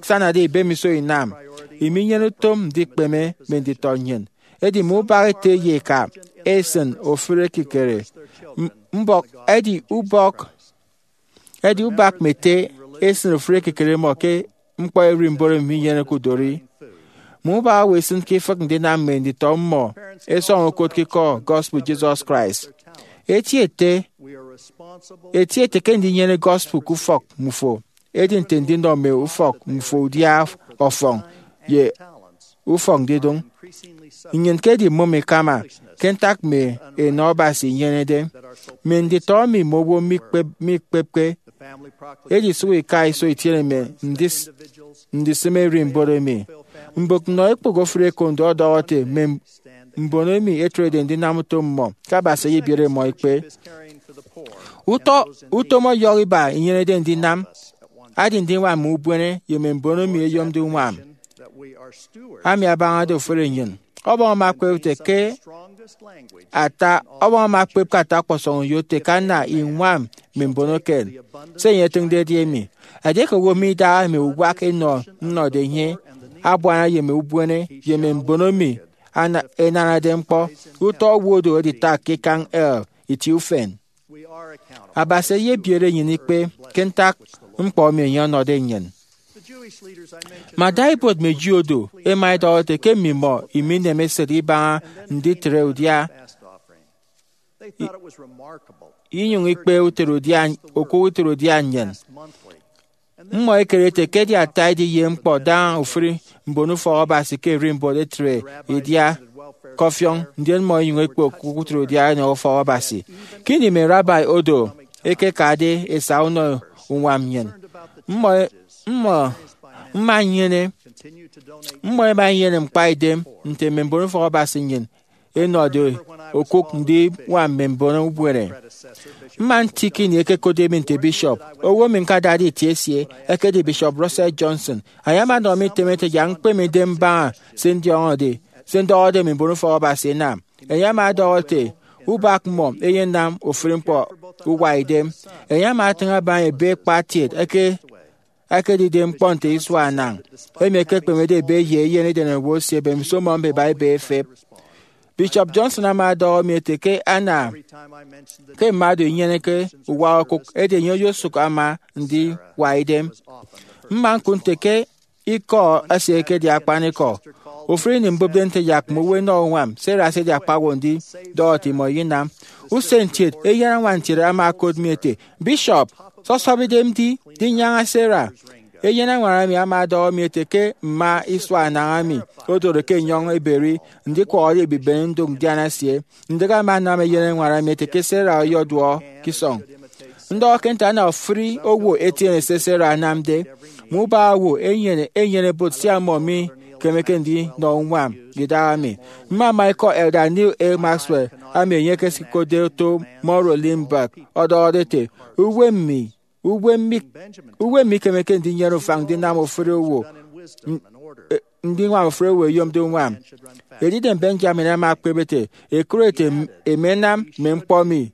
sanade ibemiso inam iminyene utom ndikpeme mme nditọ nnyịn. Edi mme ubak ete ye eka esịn ofụri ekikere mbọk edi ubọk edi ubak mme ete esịn ofụri ekikere mmọ ke ñkpọ ererimbot emi minyeneke udori. Mme ubak owo ẹsịn ke ifịk ndinam mme nditọ mmọ ẹsọñọ ukot ke ikọ gospel Jesus Christ. Eti ete eti ete ke ndinyene gospel ke ufọk mmufo edi nte ndinọ mme ufọk mmufo udia ọfọñ ye ufọk ndidụñ. Nnyịn ke edimụm ikama ke ntak mme enọ Abasi inyenede. Mme nditọ emi mme owo mikpepke edisụk ika iso itiene mme ndisịm ererimbot emi. Mbụk nnọ ekpụk ofụri ekondo ọdọhọ ete mme mbon emi ẹtrede ndinam utom mmọ ke Abasi eyebiere mmọ ikpe. Utọ utom ọyọhọ iba inyenede ndinam adi ndiñwam mme ubuene ye mme mbon emi ẹyomde uñwam, ami abañade ofụri nnyịn. Ọbọñ ama ekpep ete ke ata Ọbọñ ama ekpep ke ata ọkpọsọñ uyo ete ke ana iñwam mme mbon eken. Se enye etịñde edi emi, edieke owo midaha mme uwak enọ nnọde enye, abuana ye mme ubuene ye mme mbon emi ẹnanade ñkpọ, utọ owo do editak ke ikañ hell itie ufen. Abasi eyebiere nnyịn ikpe ke ntak ñkpọ emi enye ọnọde nnyịn. Mme adaibuot mme Jew odo ẹma ẹdọhọ ete ke mmimọ imineme esịt ibaña nditre udia inyụñ ikpe utre udia, okụk utre udia nnyịn. Mmọ ẹkere ete ke edi ata ediye ñkpọ daña ofụri mbon ufọk Abasi ke ererimbot ẹtre idia ke ọfiọñ, ndien mmọ ẹnyụñ ẹkpe okụk utre udia ẹnọ ufọk Abasi. Ke ini mme rabbi odo ẹkekade ẹsa unọ uñwam nnyịn, mmọ mmọ mma nnyene mmọ ẹma ẹnyene ñkpaidem nte mme mbon ufọk Abasi nnyịn ẹnọde okụk ndiñwam mme mbon ubuene. Mma nti ke ini ẹkekotde mi nte bishop, owo emi ñkadade itie esie ekedi Bishop Russell Johnson. Enye ama ọnọ mi item ete yak ñkpeme idem mbaña se ndiọñọde se ndọhọde mme mbon ufọk Abasi ẹnam. Enye ama ọdọhọ ete ubak mmọ eyenam ofụri ñkpọ uwaidem. Enye ama atịñ abaña ebe ekpatiet eke ekedide ñkpọ nte isua anañ, emi ekekpemede ebe ye eyen edenaowo esie mbemiso mmọ mbeba ebe efep. Bishop Johnson ama ọdọhọ mi ete ke ana ke mma do inyeneke uwa okụk, edi enye oyosụk ama ndiwa idem. Mma ñkụt nte ke ikọ esie ekedi akpanikọ. Ofụri ini mbụpde nte yak mme owo ẹnọ uñwam, Sarah ese akpañwọ ndidọhọ ete imọ iyinam. Usen kiet, eyen añwan kiet ama okot mi ete, Bishop, sọsọp idem di, di nyaña Sarah. Eyen añwan emi ama ọdọhọ mi ete ke mma isua anañami odoro ke enyọñ eberi ndikwọhọde ebibene ndụk ndian esie. Ndịk ama anam eyen añwan emi ete ke Sarah ọyọduọ ke isọñ. Ndọhọ ke nte ana ofụri owo etiene se Sarah anamde, mme ubaña owo enyene enyene bụt sia mmọ mikemeke ndinọ uñwam idaha mi. Mmama ikọ Elder Neal A. Maxwell, ami enye ekesikotde oto Munro Lindbergh, ọdọhọde ete, uwem mi, uwem mi, uwem mikemeke ndinyene ufañ ndinam ofụri owo, n- e- ndiñwam ofụri owo eyomde uñwam. Edidem Benjamin ama ekpep ete, ekụre ete, emenam mme ñkpọ mi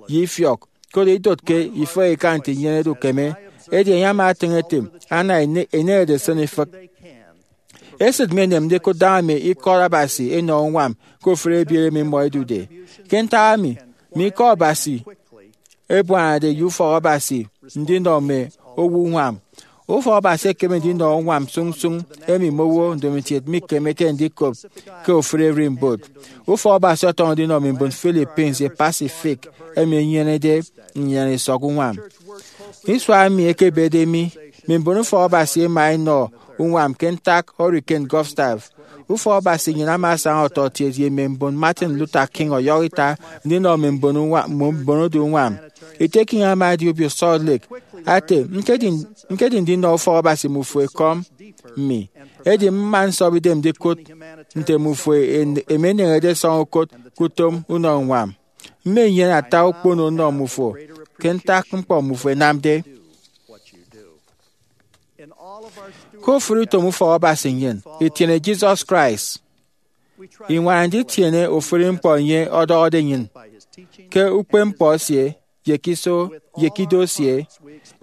ye ifiọk, koro idotke ifehe ika nte inyenede ukeme. Edi enye ama etịñ ete, ana ene- eneñede esịn ifịk. Esịt mi enemde ikụt daña mme ikọt Abasi ẹnọ uñwam ke ofụri ebiere emi mmọ ẹdude. Ke ntak emi, mme ikọ Abasi ẹbuanade ye ufọk Abasi ndinọ mme owo uñwam. Ufọk Abasi ekeme ndinọ uñwam sụñsụñ emi mme owo ndomokiet mikemeke ndikop ke ofụri ererimbot. Ufọk Abasi ọtọñọ ndinọ mme mbon Philippines ye Pacific emi ẹnyenede nnyịn isọk uñwam. Isua emi ẹkebede mi, mme mbon ufọk Abasi ẹma ẹnọ uñwam ke ntak Hurricane Gustav. Ufọk Abasi nnyịn ama asaña ọtọkiet ye mme mbon Martin Luther King ọyọhọ ita ndinọ mme mbon uñwa- mme mbon odu uñwam. Ete King ama edi obio Salt Lake, ate, ñkedi, ñkedi ndinọ ufọk Abasi mme ufo ekọm mi. Edi mma nsọp idem ndikụt nte mme ufo en- emeneñede ẹsọñ ukot ke utom unọ uñwam. Mmenyene ata ukpono nnọ mme ufo ke ntak ñkpọ mme ufo ẹnamde. Ke ofụri utom ufọk Abasi nnyịn itiene Jesus Christ. Iñwana nditiene ofụri ñkpọ enye ọdọhọde nnyịn ke ukpepñkpọ esie, ye ke iso, ye ke ido esie,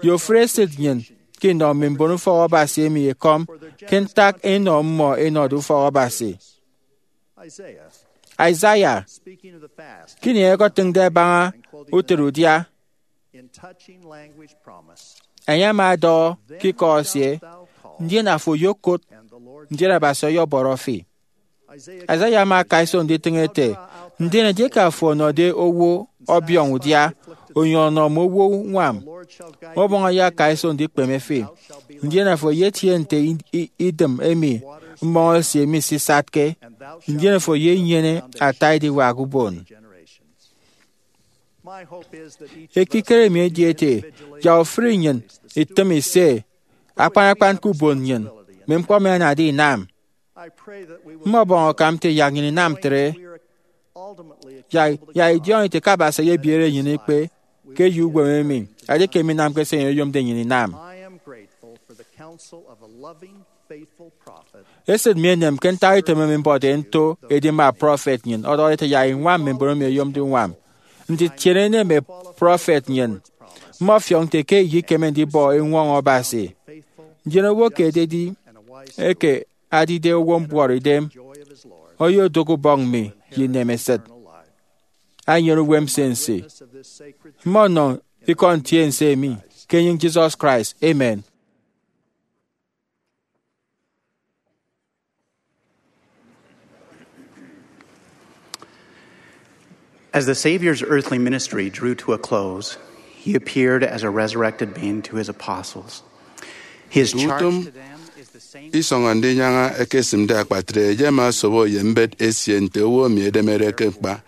ye ofụri esịt nnyịn ke inọ mme mbon ufọk Abasi emi ekọm ke ntak enọ mmọ ẹnọde ufọk Abasi. Isaiah, ke ini ẹketịñde ẹbaña utịt udia, enye ama ọdọhọ ke ikọ esie, ndien afo oyokụt, ndien Abasi ọyọbọrọ fi. Isaiah ama akaiso nditịñ ete, ndien edieke afo ọnọde owo ọbiọñ udia, onyụñ ọnọ mme owo uñwam, ọbọñ ayakaiso ndikpeme fi, ndien afo eyetie nte i- i- idịm emi mmọñ esie misisatke, ndien afo eyenyene ata ediwak ubon. Ekikere mi edi ete, yak ofụri nnyịn itịm ise akpan akpan ke ubon nnyịn mme ñkpọ emi anade inam. Mmọbọñ akam nte yak nnyịn inam ntre, yak, yak idiọñọ ite ke Abasi eyebiere nnyịn ikpe ke eyo uwem emi, edieke minamke se enye oyomde nnyịn inam. Esịt mi enem ke ntak item emi mbọde nto edima prọfet nnyịn ọdọhọde ete yak iñwam mme mbon emi ẹyomde uñwam. Nditiene nneme prọfet nnyịn, mmọfiọk nte ke iyekeme ndibọ eñwọñọ Abasi. Ndien owo ke ededi eke adide owo mbuọtidem oyodụk ubọñ mi ye inemesịt, enyene uwem nsinsi. Mmọnọ ikọ ntiense emi ke enyịñ Jesus Christ. Amen. As the Savior's earthly ministry drew to a close, he appeared as a resurrected being to his apostles. His charge to them is the same. Isọñ ndinyaña ẹkesịmde akpatre, enye ama osobo ye mbet esie nte owo emi edemede ke ñkpa.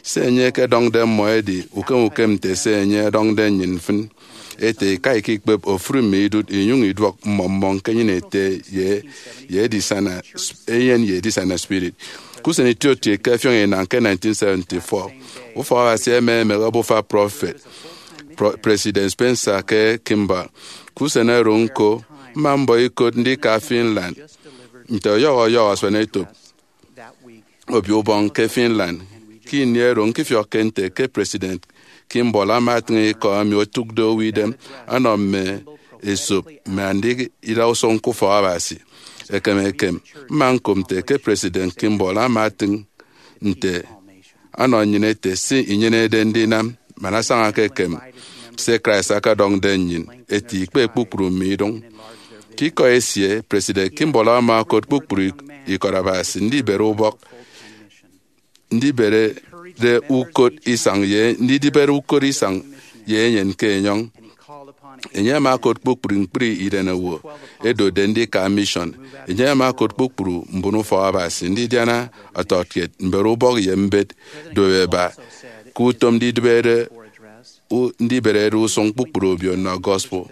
Se enye ekedọñde mmọ edi ukem ukem nte se enye ọdọñde nnyịn mfịn. Ete, ika ikikpep ofụri mme idụt, inyụñ iduọk mmọ mmọ ñkenyịn ete ye, ye edisana sp- eyen ye edisana spirit. Ke usen itiokiet ke ẹfiọñ inañ ke nineteen seventy-four, ufọk Abasi ẹma ẹmehe obufa prọfet, Pro- President Spencer K. Kimball. Ke usen oro ñko, mma mbọ ikot ndika Finland nte ọyọhọ ọyọhọ asuanetop obio ubọñ ke Finland. Ke ini oro, ñkifiọkke nte ke President Kimball ama atịñ ikọ emi otụkde owo idem ọnọ mme esop mme andida usụñ ke ufọk Abasi. Ekem ekem, mma ñkop nte ke President Kimball ama atịñ nte ọnọ nnyịn ete se inyenede ndinam man asañake ekem se Christ akadọñde nnyịn ete ikpe kpukpru mme idụñ. Ke ikọ esie, President Kimball ama okot kpukpru ik- ikọt Abasi ndibere ubọk, ndibere de ukot isañ ye ndidibere ukot isañ ye enyen ke enyọñ. Enye ama okot kpukpru ñkpri irenowo edotde ndika mission. Enye ama okot kpukpru mbon ufọk Abasi ndidiana ọtọkiet, mbere ubọk ye mbet duop eba ke utom ndidibere u- ndiberede usụñ kpukpru obio nnọ gospel.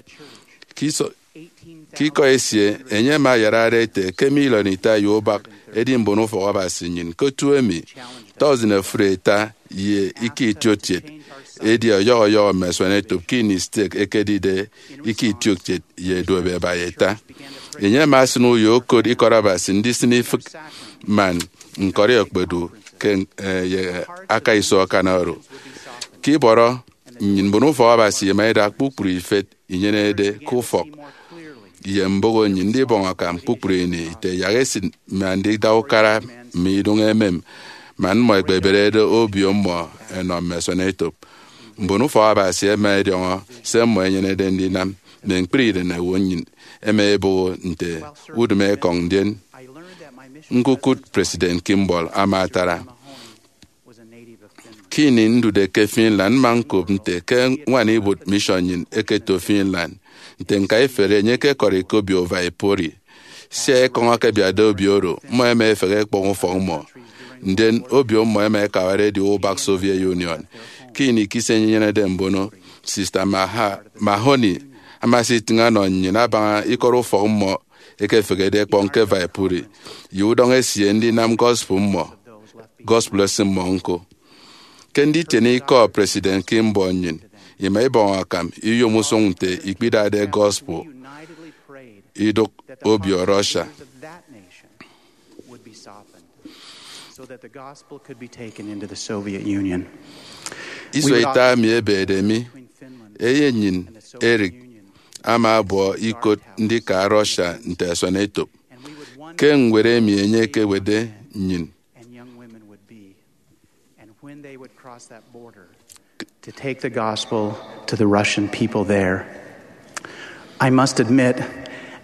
Ke iso- ke ikọ esie, enye ama ayarade ete ke miliọn ita ye ubak edi mbon ufọk Abasi nnyịn ke otu emi. Thousand ofụri ita ye ika itiokiet edi ọyọhọ ọyọhọ mme asuanetop ke ini stek ekedide ika itiokiet ye duop eba ye ita. Enye ama asịn uyo okot ikọt Abasi ndisịn ifịk man ñkọri okpodu ke, eh, ye aka iso akan oro. Ke ibọrọ nnyịn, mbon ufọk Abasi ẹma ẹda kpukpru ifet inyenede ke ufọk ye mboho nnyịn ndibọñ akam kpukpru ini ite yak esịt mme andida ukara mme idụñ emem man mmọ ẹkpeberede obio mmọ ẹnọ mme asuanetop. Mbon ufọk Abasi ẹma ẹdiọñọ se mmọ ẹnyenede ndinam mme ñkpri irenowo nnyịn ẹma ẹbụhọ nte udịm ekọñ, ndien ñkukụt President Kimball ama atara. Ke ini ndude ke Finland, mma ñkop nte ke ñwan ibuot mission nnyịn eketo Finland. Nte ñkaiferi, enye ekekọri ke obio Viipuri. Sia ekọñ akebiatde obio oro, mmọ ẹma ẹfehe ẹkpọñ ufọk mmọ, ndien obio mmọ ẹma ẹkawara edi ubak Soviet Union. Ke ini ikise enyenede mbono, Sister Maha- Mahoney ama asitịñ ọnọ nnyịn abaña ikọt ufọk mmọ ekefehede ẹkpọñ ke Viipuri, ye udọñ esie ndinam gospel mmọ, gospel esịm mmọ ñko. Ke nditiene ikọ President Kimball nnyịn, ima ibọñ akam iyom usụñ nte ikpidade gospel idụk obio Russia. So that the gospel could be taken into the Soviet Union. Iso ita mi ebede mi, eyenyịn Eric ama abọ ikot ndika Russia nte asuanetop. Ke ñwed emi enye ekewetde nnyịn, And young women would be, and when they would cross that border to take the gospel to the Russian people there. I must admit,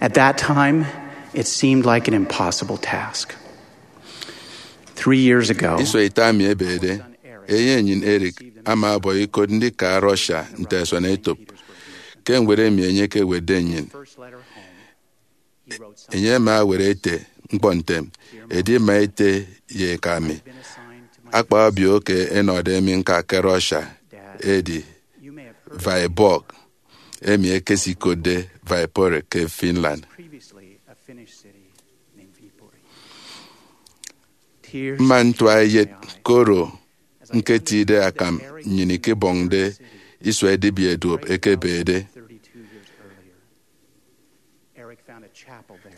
at that time, it seemed like an impossible task. Three years ago, iso ita mi ebede, eyenyịn Eric ama abọ ikot ndika Russia nte asuanetop. Ke ñwed emi enye ekewetde nnyịn, enye ama ewet ete ñkpọ ntem, edi mma ete ye eka mi, akpa obio ke ẹnọde mi ñka ke Russia edi Vyborg, emi ẹkesikotde Viipuri ke Finland. Mma ntua eyet koro ñketide akam nnyịn ikebọñde isua edibia duop ekebede.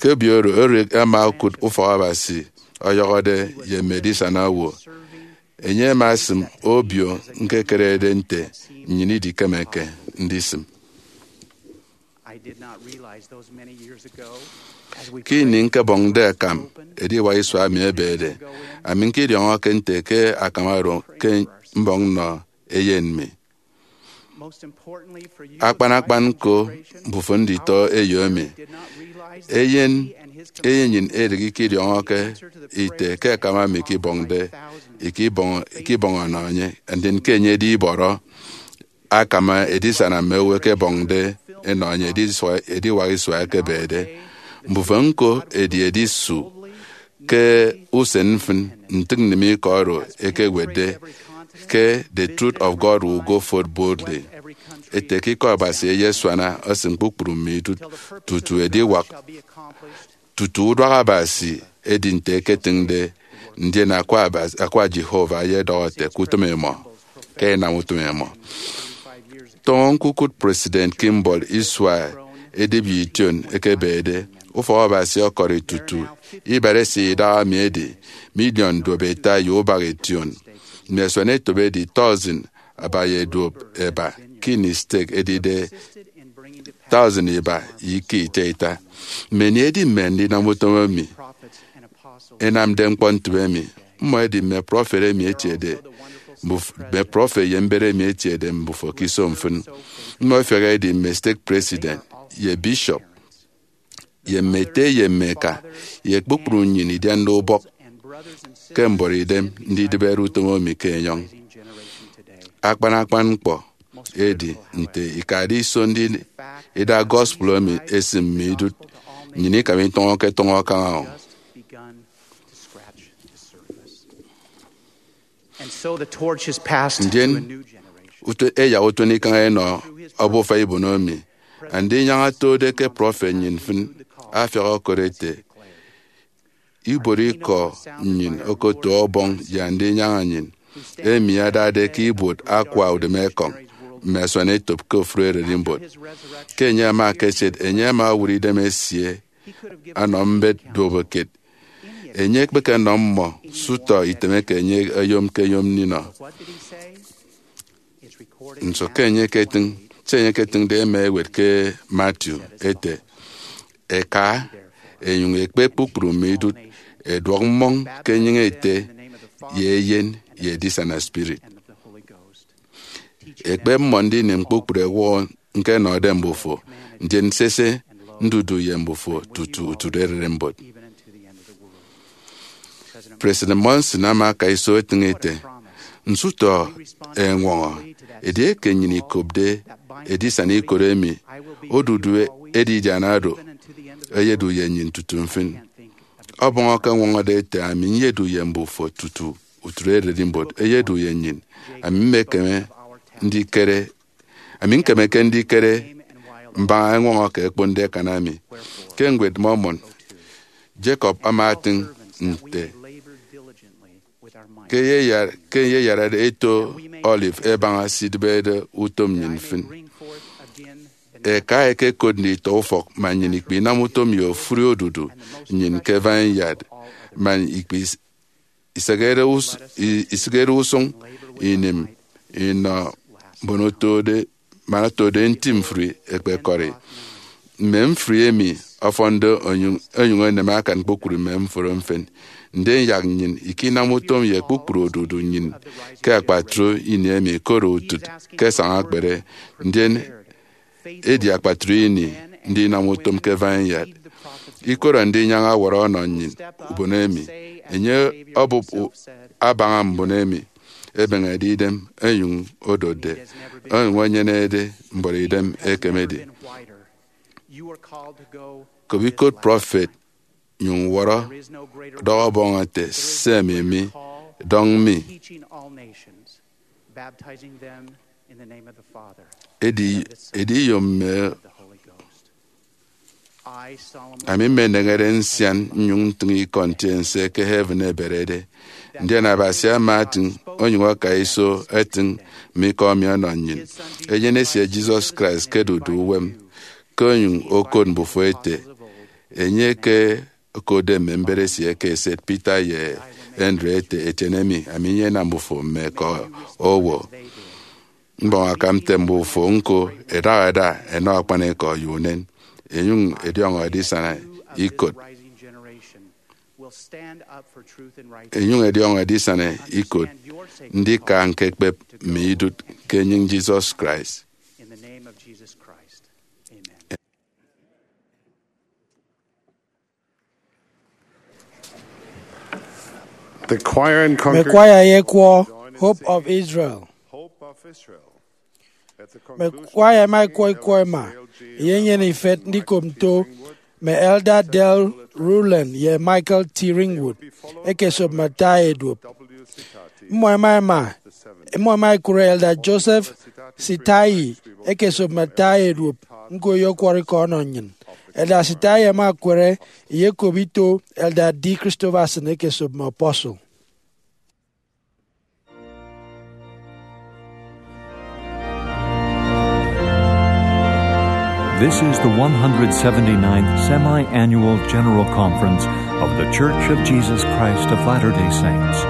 Ke obio oro, Eric ama okụt ufọk Abasi ọyọhọde ye mme edisana owo. Enye ama asịm obio ñkekerede nte nnyịn idikemeke ndisịm. Ke ini ñkebọñde akam ediwak isua emi ebede, ami ñkediọñọke nte ke akam oro ke mbọñ nnọ eyen mi. Akpan akpan ñko, mbufo nditọ eyo emi, eyen eyenyịn Eric ikediọñọke ite ke akam emi ikebọñde, ikebọñ ikebọñ ọnọ enye, ndien ke enye edi ibọrọ akam edisana mme owo ẹkebọñde ẹnọ enye ediwak isua ekebede. Mbufo ñko edi edisu ke usen mfịn ntịñnnịm ikọ oro ekewetde ke The Truth of God Will Go Forth Boldly, ete ke ikọ Abasi eyesuana esịm kpukpru mme idụt tutu ediwak, tutu uduak Abasi edi nte eketịñde, ndien akwa Abasi, akwa Jehovah eyedọhọ ete ke utịm imọ, ke inam utịm imọ. Tọñọ ñkukụt President Kimball isua edibia ition ekebede. Ufọk Abasi ọkọri tutu ibara esie idaha mi edi miliọn duop ita ye ubak ition. Mme asuanetop edi thousand aba ye duop eba ke ini stek edide thousand iba ye ika ita ita. Mmanie edi mme ndinam utom emi ẹnamde ñkpọ ntịbe emi? Mmọ ẹdi mme prọfet emi etiede mbuf- mme prọfet ye mbet emi etiede mbufo ke iso mfịn. Mmọ ẹfiak ẹdi mme stake president ye bishop ye mme ete ye mme eka ye kpukpru nnyịn idiande ubọk. ke mbọrọidem ndidịbere utom emi ke enyọñ. Akpan akpan ñkpọ edi nte ikade iso ndida gospel emi esịm mme idụt, nnyịn ikam itọñọke tọñọ kaña o. Ndien ut- ẹyak utuenikañ ẹnọ obufa ibono emi. Andinyaña otode ke prọfet nnyịn mfịn afiak okot ete, ibuot ikọ nnyịn okoto Ọbọñ ye Andinyaña nnyịn, emi adade ke ibuot akwa udịmekọñ mme asuanetop ke ofụri ererimbot. Ke enye ama ekesiet, enye ama owụt idem esie anọ mbet duobuot kiet. Enye ekpekenọ mmọ sụtọ itemeke enye oyomke-yom ndinọ. Nso ke enye eketịñ? Se enye eketịñde ẹma ẹwet ke Matthew ete, ẹka, ẹnyụñ ẹkpe kpukpru mme idụt, ẹduọk mmọñ ke enyịñ Ete, ye Eyen, ye Edisana Spirit. Ẹkpep mmọ ndinịm kpukpru ẹwọ ñkenọde mbufo, ndien sese, ndudu ye mbufo tutu utụt ererimbot. President Monson ama aka iso etịñ ete, nsụtọ ẹñwọñọ edieke nnyịn ikopde edisana ikot emi, odudu edidiana do eyedu ye nnyịn tutu mfịn. Ọbọñ ọkọñwọñọde ete, ami nyedu ye mbufo tutu utụt ererimbot eyedu ye nnyịn. Ami mmekeme ndikere Ami ñkemeke ndikere mbaña eñwọñọ ke ẹkponde ẹkan ami. Ke Ñwed Mormon, Jacob ama etịñ nte ke eyeyarade eto olive ẹbaña se idịbede utom nnyịn mfịn. Ẹka ẹkekot nditọ ufọk man nnyịn ikpe inam utom ye ofụri odudu nnyịn ke vineyard, man ikpe isekere us- i- isikere usụñ inịm inọ mbon otode man otode nti mfri ẹkpekọri. Mme mfri emi ọfọnde onyụñ onyụñ enem akan kpukpru mme mforo mfịn. Ndien yak nnyịn ikinam utom ye kpukpru odudu nnyịn ke akpatre ini emi, koro utịt ke ẹsaña ekpere, ndien edi akpatre ini ndinam utom ke vineyard. Ikoro Andinyaña ọwọrọ ọnọ nnyịn ubon emi. Enye obụp u- abaña mbon emi ẹbeñede idem onyụñ odotde, onyụñ enyenede mbọrọidem ekemede. Kop ikot prọfet, nyụñ wọrọ, dọhọ Ọbọñ ete, seme mi, dọñ mi. Edi, edi iyom mme Ami mmeneñede nsian nnyụñ ntịñ ikọ ntiense ke heaven eberede. Ndien Abasi ama etịñ onyụñ aka iso etịñ mme ikọ emi ọnọ nnyịn. Eyen esie Jesus Christ ke dudu uwem, ke onyụñ okot mbufo ete, enye ke okotde mme mbet esie ke eset Peter ye Andrew ete, etiene mi, ami nyenam mbufo mme ke owo. Mbọñ akam nte mbufo ñko ẹdahada ẹnọ akpanikọ ye unen, enyụñ ẹdiọñọ edisana ikot. Enyụñ ẹdiọñọ edisana ikot ndika ñkekpep mme idụt ke enyịñ Jesus Christ. The choir and Mme congregation kwaya ye ekwọ Hope of Israel. Hope of Israel. Mme kwaya ẹma ẹkwọ ikwọ ẹma ẹyenyene ifet ndikop nto mme Elder Dale Rowland ye Michael T. Ringwood ẹkesop mme ata eduop. Mmọ ẹma ẹma, mmọ ẹma ẹkụre Elder Joseph Sitayi ẹkesop mme ata eduop, ñko eyekwọrọ ikọ ọnọ nnyịn. Elder Sitayi ẹma ẹkụre, eyekop ito Elder D. Christopherson ẹkesop mme apostle. This is the one hundred seventy-ninth Semi-Annual General Conference of The Church of Jesus Christ of Latter-day Saints.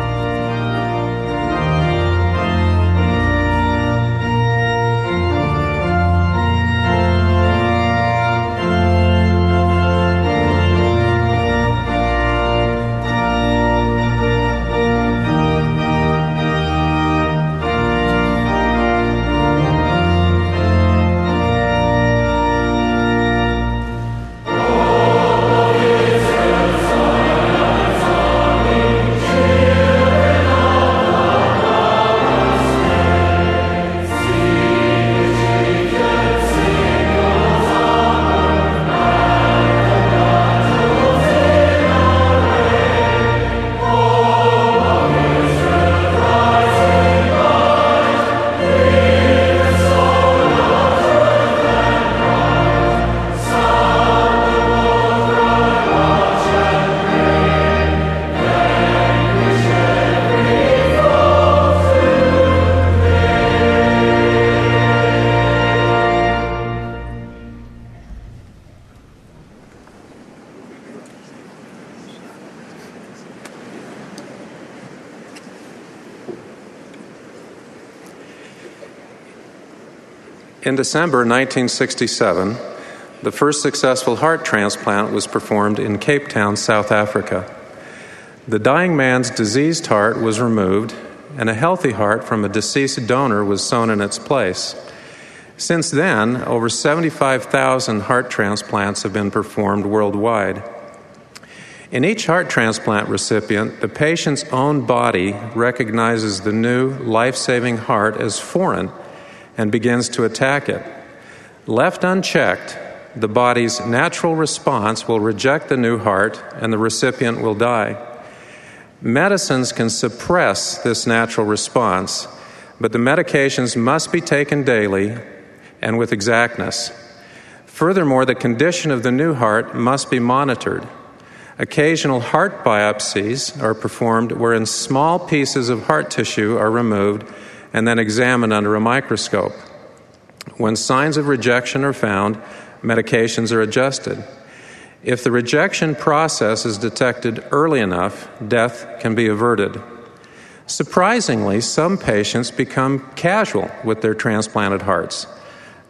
In December nineteen sixty-seven, the first successful heart transplant was performed in Cape Town, South Africa. The dying man's diseased heart was removed, and a healthy heart from a deceased donor was sewn in its place. Since then, over seventy-five thousand heart transplants have been performed worldwide. In each heart transplant recipient, the patient's own body recognizes the new, life saving heart as foreign and begins to attack it. Left unchecked, the body's natural response will reject the new heart and the recipient will die. Medicines can suppress this natural response, but the medications must be taken daily and with exactness. Furthermore, the condition of the new heart must be monitored. Occasional heart biopsies are performed wherein small pieces of heart tissue are removed and then examined under a microscope. When signs of rejection are found, medications are adjusted. If the rejection process is detected early enough, death can be averted. Surprisingly, some patients become casual with their transplanted hearts.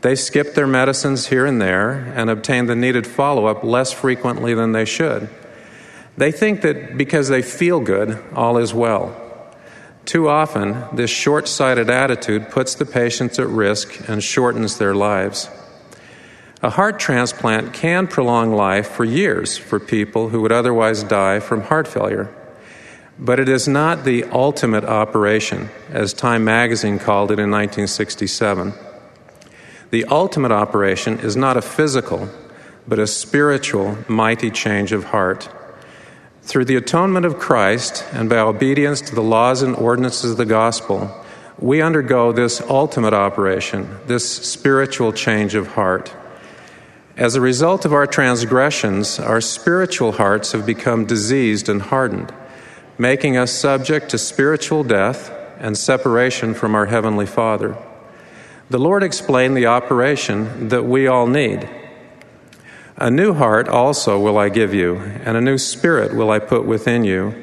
They skip their medicines here and there and obtain the needed follow up less frequently than they should. They think that because they feel good, all is well. Too often, this short sighted attitude puts the patients at risk and shortens their lives. A heart transplant can prolong life for years for people who would otherwise die from heart failure. But it is not the ultimate operation, as Time magazine called it in nineteen sixty-seven. The ultimate operation is not a physical, but a spiritual, mighty change of heart. Through the atonement of Christ and by obedience to the laws and ordinances of the gospel, we undergo this ultimate operation, this spiritual change of heart. As a result of our transgressions, our spiritual hearts have become diseased and hardened, making us subject to spiritual death and separation from our Heavenly Father. The Lord explained the operation that we all need. "A new heart also will I give you, and a new spirit will I put within you,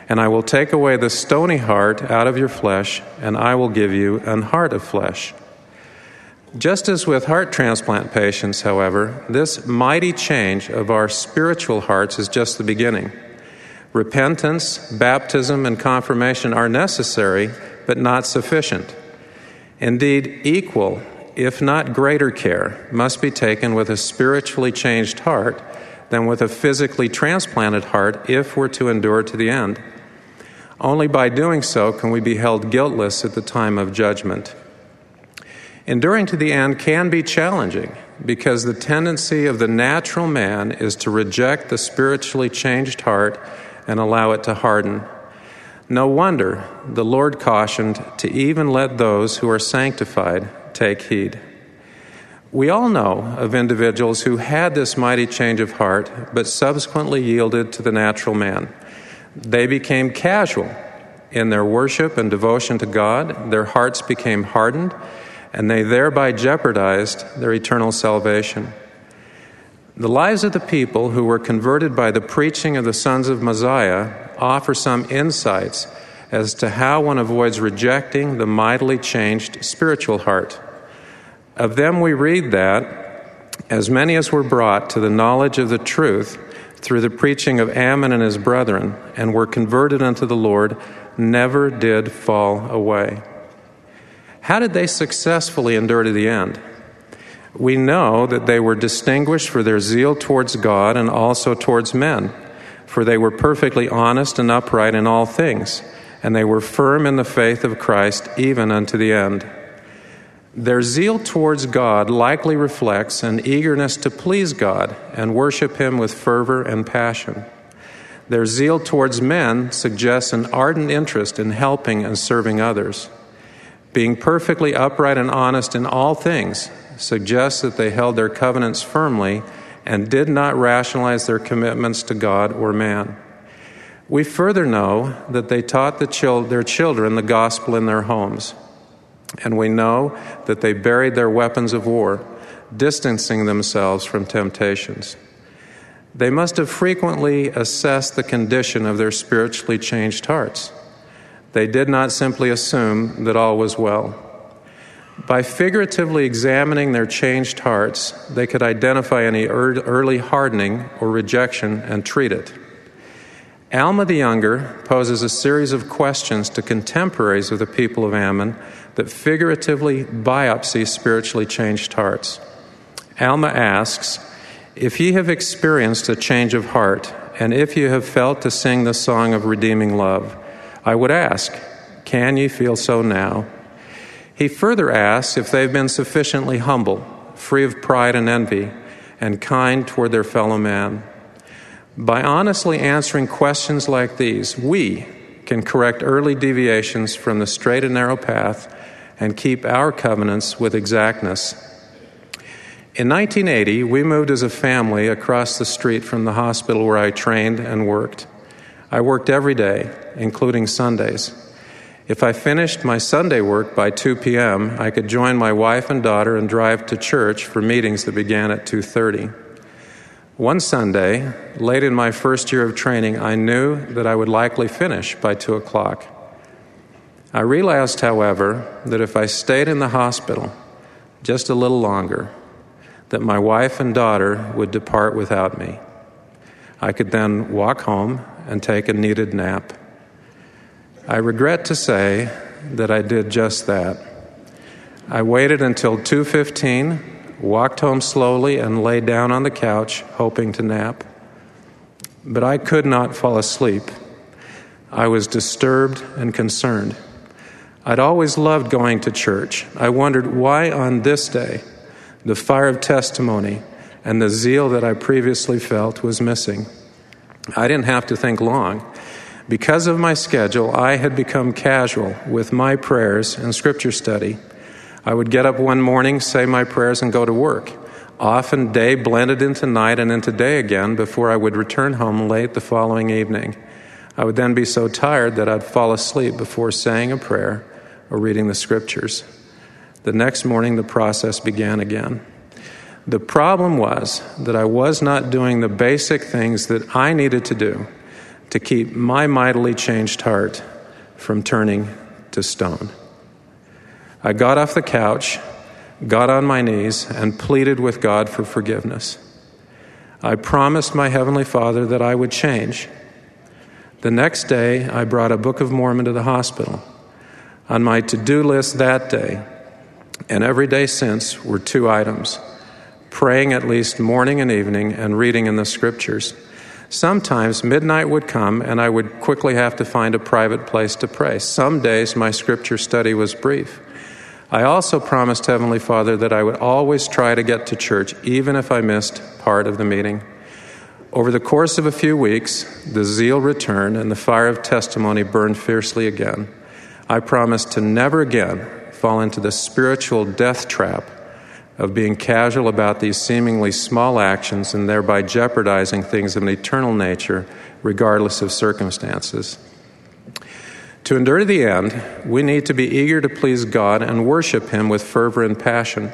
and I will take away the stony heart out of your flesh, and I will give you an heart of flesh." Just as with heart transplant patients, however, this mighty change of our spiritual hearts is just the beginning. Repentance, baptism, and confirmation are necessary, but not sufficient. Indeed, equal, if not greater care, must be taken with a spiritually changed heart than with a physically transplanted heart if we're to endure to the end. Only by doing so can we be held guiltless at the time of judgment. Enduring to the end can be challenging because the tendency of the natural man is to reject the spiritually changed heart and allow it to harden. No wonder the Lord cautioned to even let those who are sanctified take heed. We all know of individuals who had this mighty change of heart but subsequently yielded to the natural man. They became casual in their worship and devotion to God, their hearts became hardened, and they thereby jeopardized their eternal salvation. The lives of the people who were converted by the preaching of the sons of Mosiah offer some insights as to how one avoids rejecting the mightily changed spiritual heart. Of them we read that, "As many as were brought to the knowledge of the truth through the preaching of Ammon and his brethren, and were converted unto the Lord, never did fall away." How did they successfully endure to the end? We know that they were distinguished for their zeal towards God and also towards men, for they were perfectly honest and upright in all things, and they were firm in the faith of Christ even unto the end. Their zeal towards God likely reflects an eagerness to please God and worship Him with fervor and passion. Their zeal towards men suggests an ardent interest in helping and serving others. Being perfectly upright and honest in all things suggests that they held their covenants firmly and did not rationalize their commitments to God or man. We further know that they taught the chil- their children the gospel in their homes. And we know that they buried their weapons of war, distancing themselves from temptations. They must have frequently assessed the condition of their spiritually changed hearts. They did not simply assume that all was well. By figuratively examining their changed hearts, they could identify any ear- early hardening or rejection and treat it. Alma the Younger poses a series of questions to contemporaries of the people of Ammon that figuratively biopsy spiritually changed hearts. Alma asks, "If ye have experienced a change of heart, and if ye have felt to sing the song of redeeming love, I would ask, can ye feel so now?" He further asks if they've been sufficiently humble, free of pride and envy, and kind toward their fellow man. By honestly answering questions like these, we can correct early deviations from the straight and narrow path and keep our covenants with exactness. In nineteen eighty, we moved as a family across the street from the hospital where I trained and worked. I worked every day, including Sundays. If I finished my Sunday work by two p.m., I could join my wife and daughter and drive to church for meetings that began at two thirty. One Sunday, late in my first year of training, I knew that I would likely finish by two o'clock. I realized, however, that if I stayed in the hospital just a little longer, that my wife and daughter would depart without me. I could then walk home and take a needed nap. I regret to say that I did just that. I waited until two fifteen, walked home slowly, and lay down on the couch, hoping to nap. But I could not fall asleep. I was disturbed and concerned. I'd always loved going to church. I wondered why on this day the fire of testimony and the zeal that I previously felt was missing. I didn't have to think long. Because of my schedule, I had become casual with my prayers and scripture study. I would get up one morning, say my prayers, and go to work. Often day blended into night and into day again before I would return home late the following evening. I would then be so tired that I'd fall asleep before saying a prayer or reading the scriptures. The next morning, the process began again. The problem was that I was not doing the basic things that I needed to do to keep my mightily changed heart from turning to stone. I got off the couch, got on my knees, and pleaded with God for forgiveness. I promised my Heavenly Father that I would change. The next day, I brought a Book of Mormon to the hospital. On my to do list that day, and every day since, were two items: praying at least morning and evening and reading in the scriptures. Sometimes midnight would come and I would quickly have to find a private place to pray. Some days my scripture study was brief. I also promised Heavenly Father that I would always try to get to church, even if I missed part of the meeting. Over the course of a few weeks, the zeal returned and the fire of testimony burned fiercely again. I promised to never again fall into the spiritual death trap of being casual about these seemingly small actions and thereby jeopardizing things of an eternal nature, regardless of circumstances. To endure to the end, we need to be eager to please God and worship Him with fervor and passion.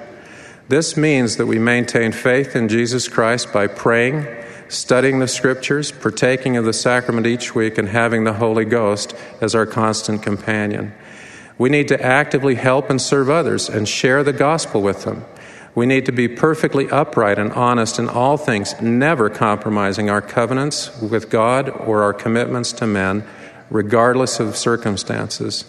This means that we maintain faith in Jesus Christ by praying, studying the Scriptures, partaking of the sacrament each week, and having the Holy Ghost as our constant companion. We need to actively help and serve others and share the gospel with them. We need to be perfectly upright and honest in all things, never compromising our covenants with God or our commitments to men, regardless of circumstances.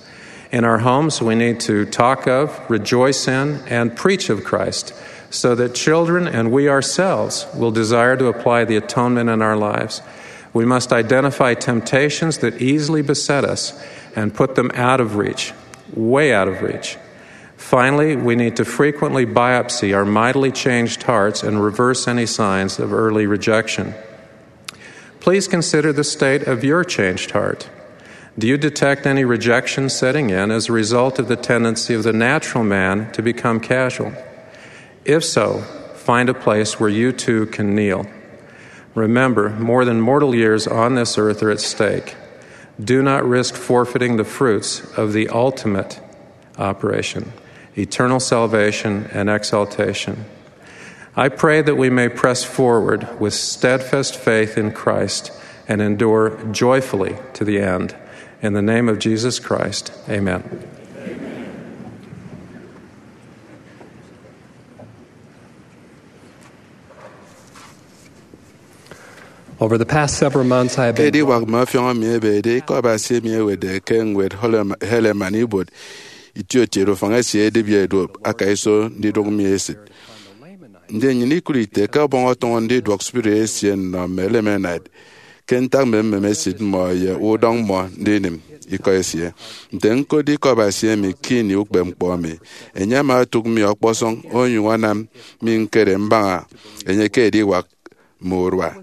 In our homes, we need to talk of, rejoice in, and preach of Christ so that children and we ourselves will desire to apply the atonement in our lives. We must identify temptations that easily beset us and put them out of reach, way out of reach. Finally, we need to frequently biopsy our mightily changed hearts and reverse any signs of early rejection. Please consider the state of your changed heart. Do you detect any rejection setting in as a result of the tendency of the natural man to become casual? If so, find a place where you too can kneel. Remember, more than mortal years on this earth are at stake. Do not risk forfeiting the fruits of the ultimate operation, eternal salvation and exaltation. I pray that we may press forward with steadfast faith in Christ and endure joyfully to the end. In the name of Jesus Christ, amen. Over the past several months, I have Ke been ediwak mme ọfiọñ emi ebede, Ikọ Abasi emi ewetde ke ñwed Helaman ibuot itiotiede ufañ esie edibia eduop aka iso ndidụk mi esịt. Ndien nnyịn ikụt ite ke Ọbọñ ọtụñọ ndiduọk spirit esie nnọ mme Lamanite ke ntak mme mmem esịt mmọ ye udọñ mmọ ndinim Ikọ esie. Nte ñkotde Ikọ Abasi emi ke ini ukpepñkpọ mi, enye ama otụk mi ọkpọsọñ onyụñ anam mi ñkere mbaña enye ke ediwak mme urua.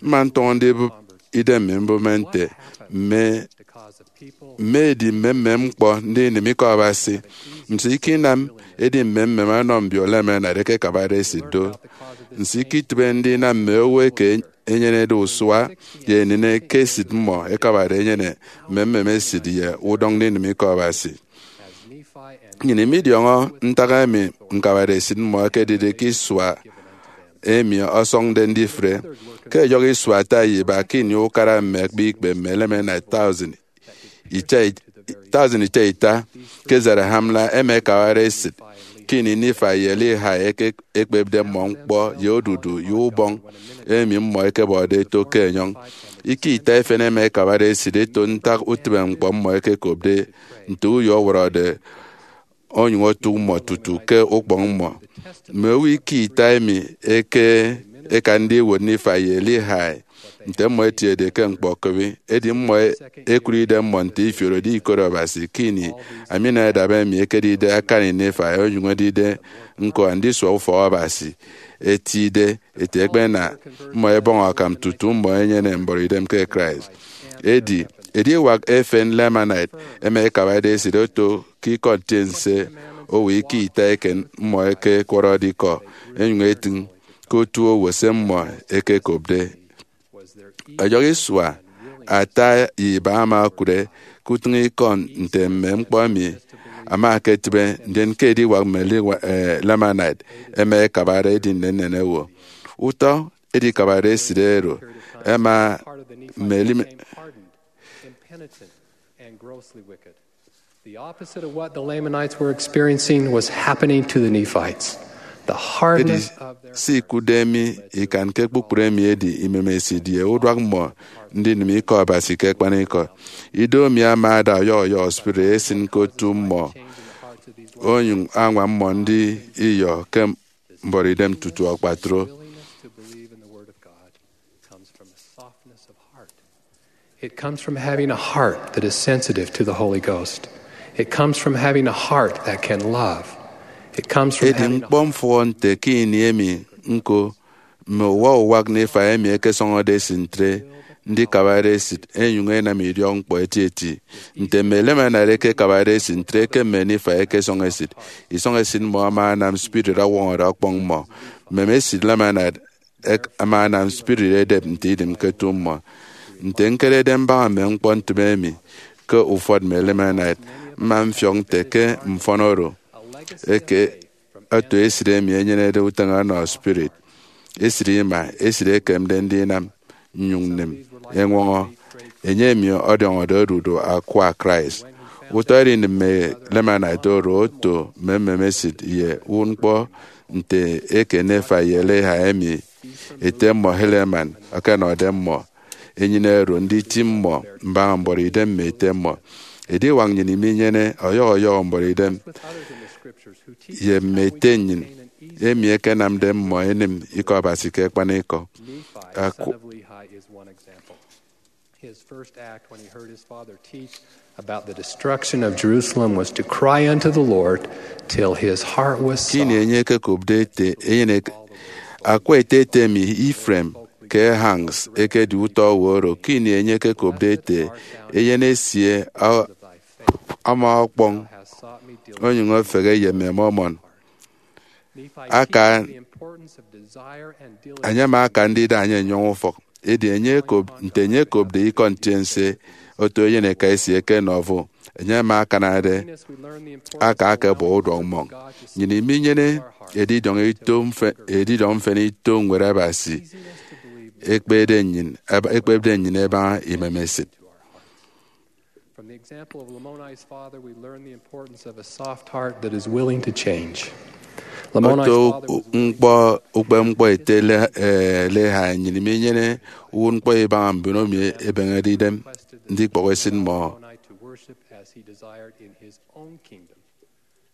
Mma ntọñọ ndibụp idem mi mbụme nte mme mme edi mmemmem ñkpọ ndinim Ikọ Abasi. Nso ikinam edi mmemmem ọnọ mbio Lamanite ẹkekabade esịt do? Nso iketịbe ndinam mme owo eke enyenede usua ye enịne ke esịt mmọ ẹkabade ẹnyene mmemmem esịt ye udọñ ndinim Ikọ Abasi? Nnyịn imidiọñọ ntak emi ñkabade esịt mmọ ekedide ke isua emi ọsọñde ndifre. Ke ẹyọhọ isua ata ye iba ke ini ukara mme akpa ikpe, mme Lamanite thousand ita ita ke Zarahemla ẹma ẹkabade esịt. Ke ini Nephi ye Lehi eke- ekpepde mmọ ñkpọ ye odudu ye ubọñ emi mmọ ẹkebọde eto ke enyọñ, ike ita efen ẹma ẹkabade esịt ẹto ntak utịbeñkpọ mmọ ẹkekopde nte uyo ọwọrọde onyụñ otụk mmọ tutu ke ukpọñ mmọ. Mme owo ike ita emi eke ẹkande iwot Nephi ye Lehi nte mmọ ẹtiede ke ñkpọ ekịbi, edi mmọ ẹkụt idemmọ nte ifiorode ikot Abasi ke ini Aminadab emi ekedide akani Nephi onyụñ edide ñko andisua ufọk Abasi, etide ete ẹkpena mmọ ẹbọñ akam tutu mmọ ẹnyene mbọrọidem ke Christ. Edi ediwak efen Lamanite ẹma ẹkabade esịt oto ke ikọ ntiense owo ike ita eken mmọ ẹkekwọrọde ikọ ẹnyụñ ẹtịñ ke otu owo se mmọ ẹkekopde. Ẹyọhọ isua ata ye iba ama okụre ke utịñikọ nte mme ñkpọ emi ama eketịbe, ndien ke ediwak mme Lewa- eh, Lamanite ẹma ẹkabade edi nnennen owo. Utọ edikabade esịt oro ẹma mme Lima- The opposite of what the Lamanites were experiencing was happening to the Nephites. The Edi hardness of their se ikụtde mi ikan ke kpukpru emi edi imemesịt ye uduak mmọ ndinim Ikọ Abasi ke akpanikọ. Ido mi ama ada ọyọhọ ọyọhọ spirit esịn ke otu mmọ, onyụñ añwam mmọ ndiyọ ke mbọrọidem tutu akpatre. Willingness to believe in the Word of God comes from a softness of heart. It comes from having a heart that is sensitive to the Holy Ghost. It comes from having a heart that can love. It comes from Edi having a ñkpọ mfụhọ nte ke ini emi ñko mme uwa uwak Nephi emi ẹkesọñọde esịt ntre ndikabade esịt ẹnyụñ ẹnam idiọkñkpọ etieti. Nte mme Lamanite ẹkekabade esịt ntre ke mme Nephi ẹkesọñ esịt, isọñ esịt mmọ ama anam spirit ọwọñọde ọkpọñ mmọ. Mmem esịt Lamanite ama anam spirit edep nte idịm ke otu mmọ. Nte ñkerede mbaña mme ñkpọ ntịme emi ke ufọt mme Lamanite, mma mfiọk nte ke mfọn oro eke oto esịt emi enyenede utịñ ọnọ spirit, esịt ima, esịt ekemde ndinam nnyụñ nnịm eñwọñọ enye emi ọdiọñọde odudu akwa Christ. Utọ edi mme Lamanite oro oto mme mmem esịt ye ñkpọ nte eke Nephi ye Lehi emi ete mmọ Helaman ọkọnọde mmọ enyịn oro nditi mmọ mbaña mbọrọidem mme ete mmọ. Ediwak nnyịn iminyene ọyọhọ ọyọhọ mbọrọidem ye mme ete nnyịn emi ẹkenamde mmọ ẹnịm Ikọ Abasi ke akpanikọ. Nephi, son of Lehi, is one example. His first act when he heard his father teach about the destruction of Jerusalem was to cry unto the Lord till his heart was Ke ini enye ekekopde ete eyen ek- akwa ete ete mi Ephraim ke Hanks ekedi utọ owo oro. Ke ini enye ekekopde ete eyen esie a- ama ọkpọñ onyụñ efehe ye mme Mormon, aka anyama aka ndida enye enyọñ ufọk. Edi enye ekop nte enye ekopde ikọ ntiense oto eyen eka esie ke Nauvoo, enye ama akanade aka akebọ uduọk mmọñ. Nnyịn iminyene edidiọñ ito mfe- edidiọñ mfịna ito Ñwed Abasi ekpede nnyịn eba- ekpepde nnyịn ebaña imemesịt. From the example of Lamoni's father, we learn the importance of a soft heart that is willing to change. Lamoni, oto ukpemkpọ ete Le- eh, Lehi, nnyịn minyene uwụtñkpọ ibaña mbon emi ebeñede idem ndikpọhọ esịt mmọ.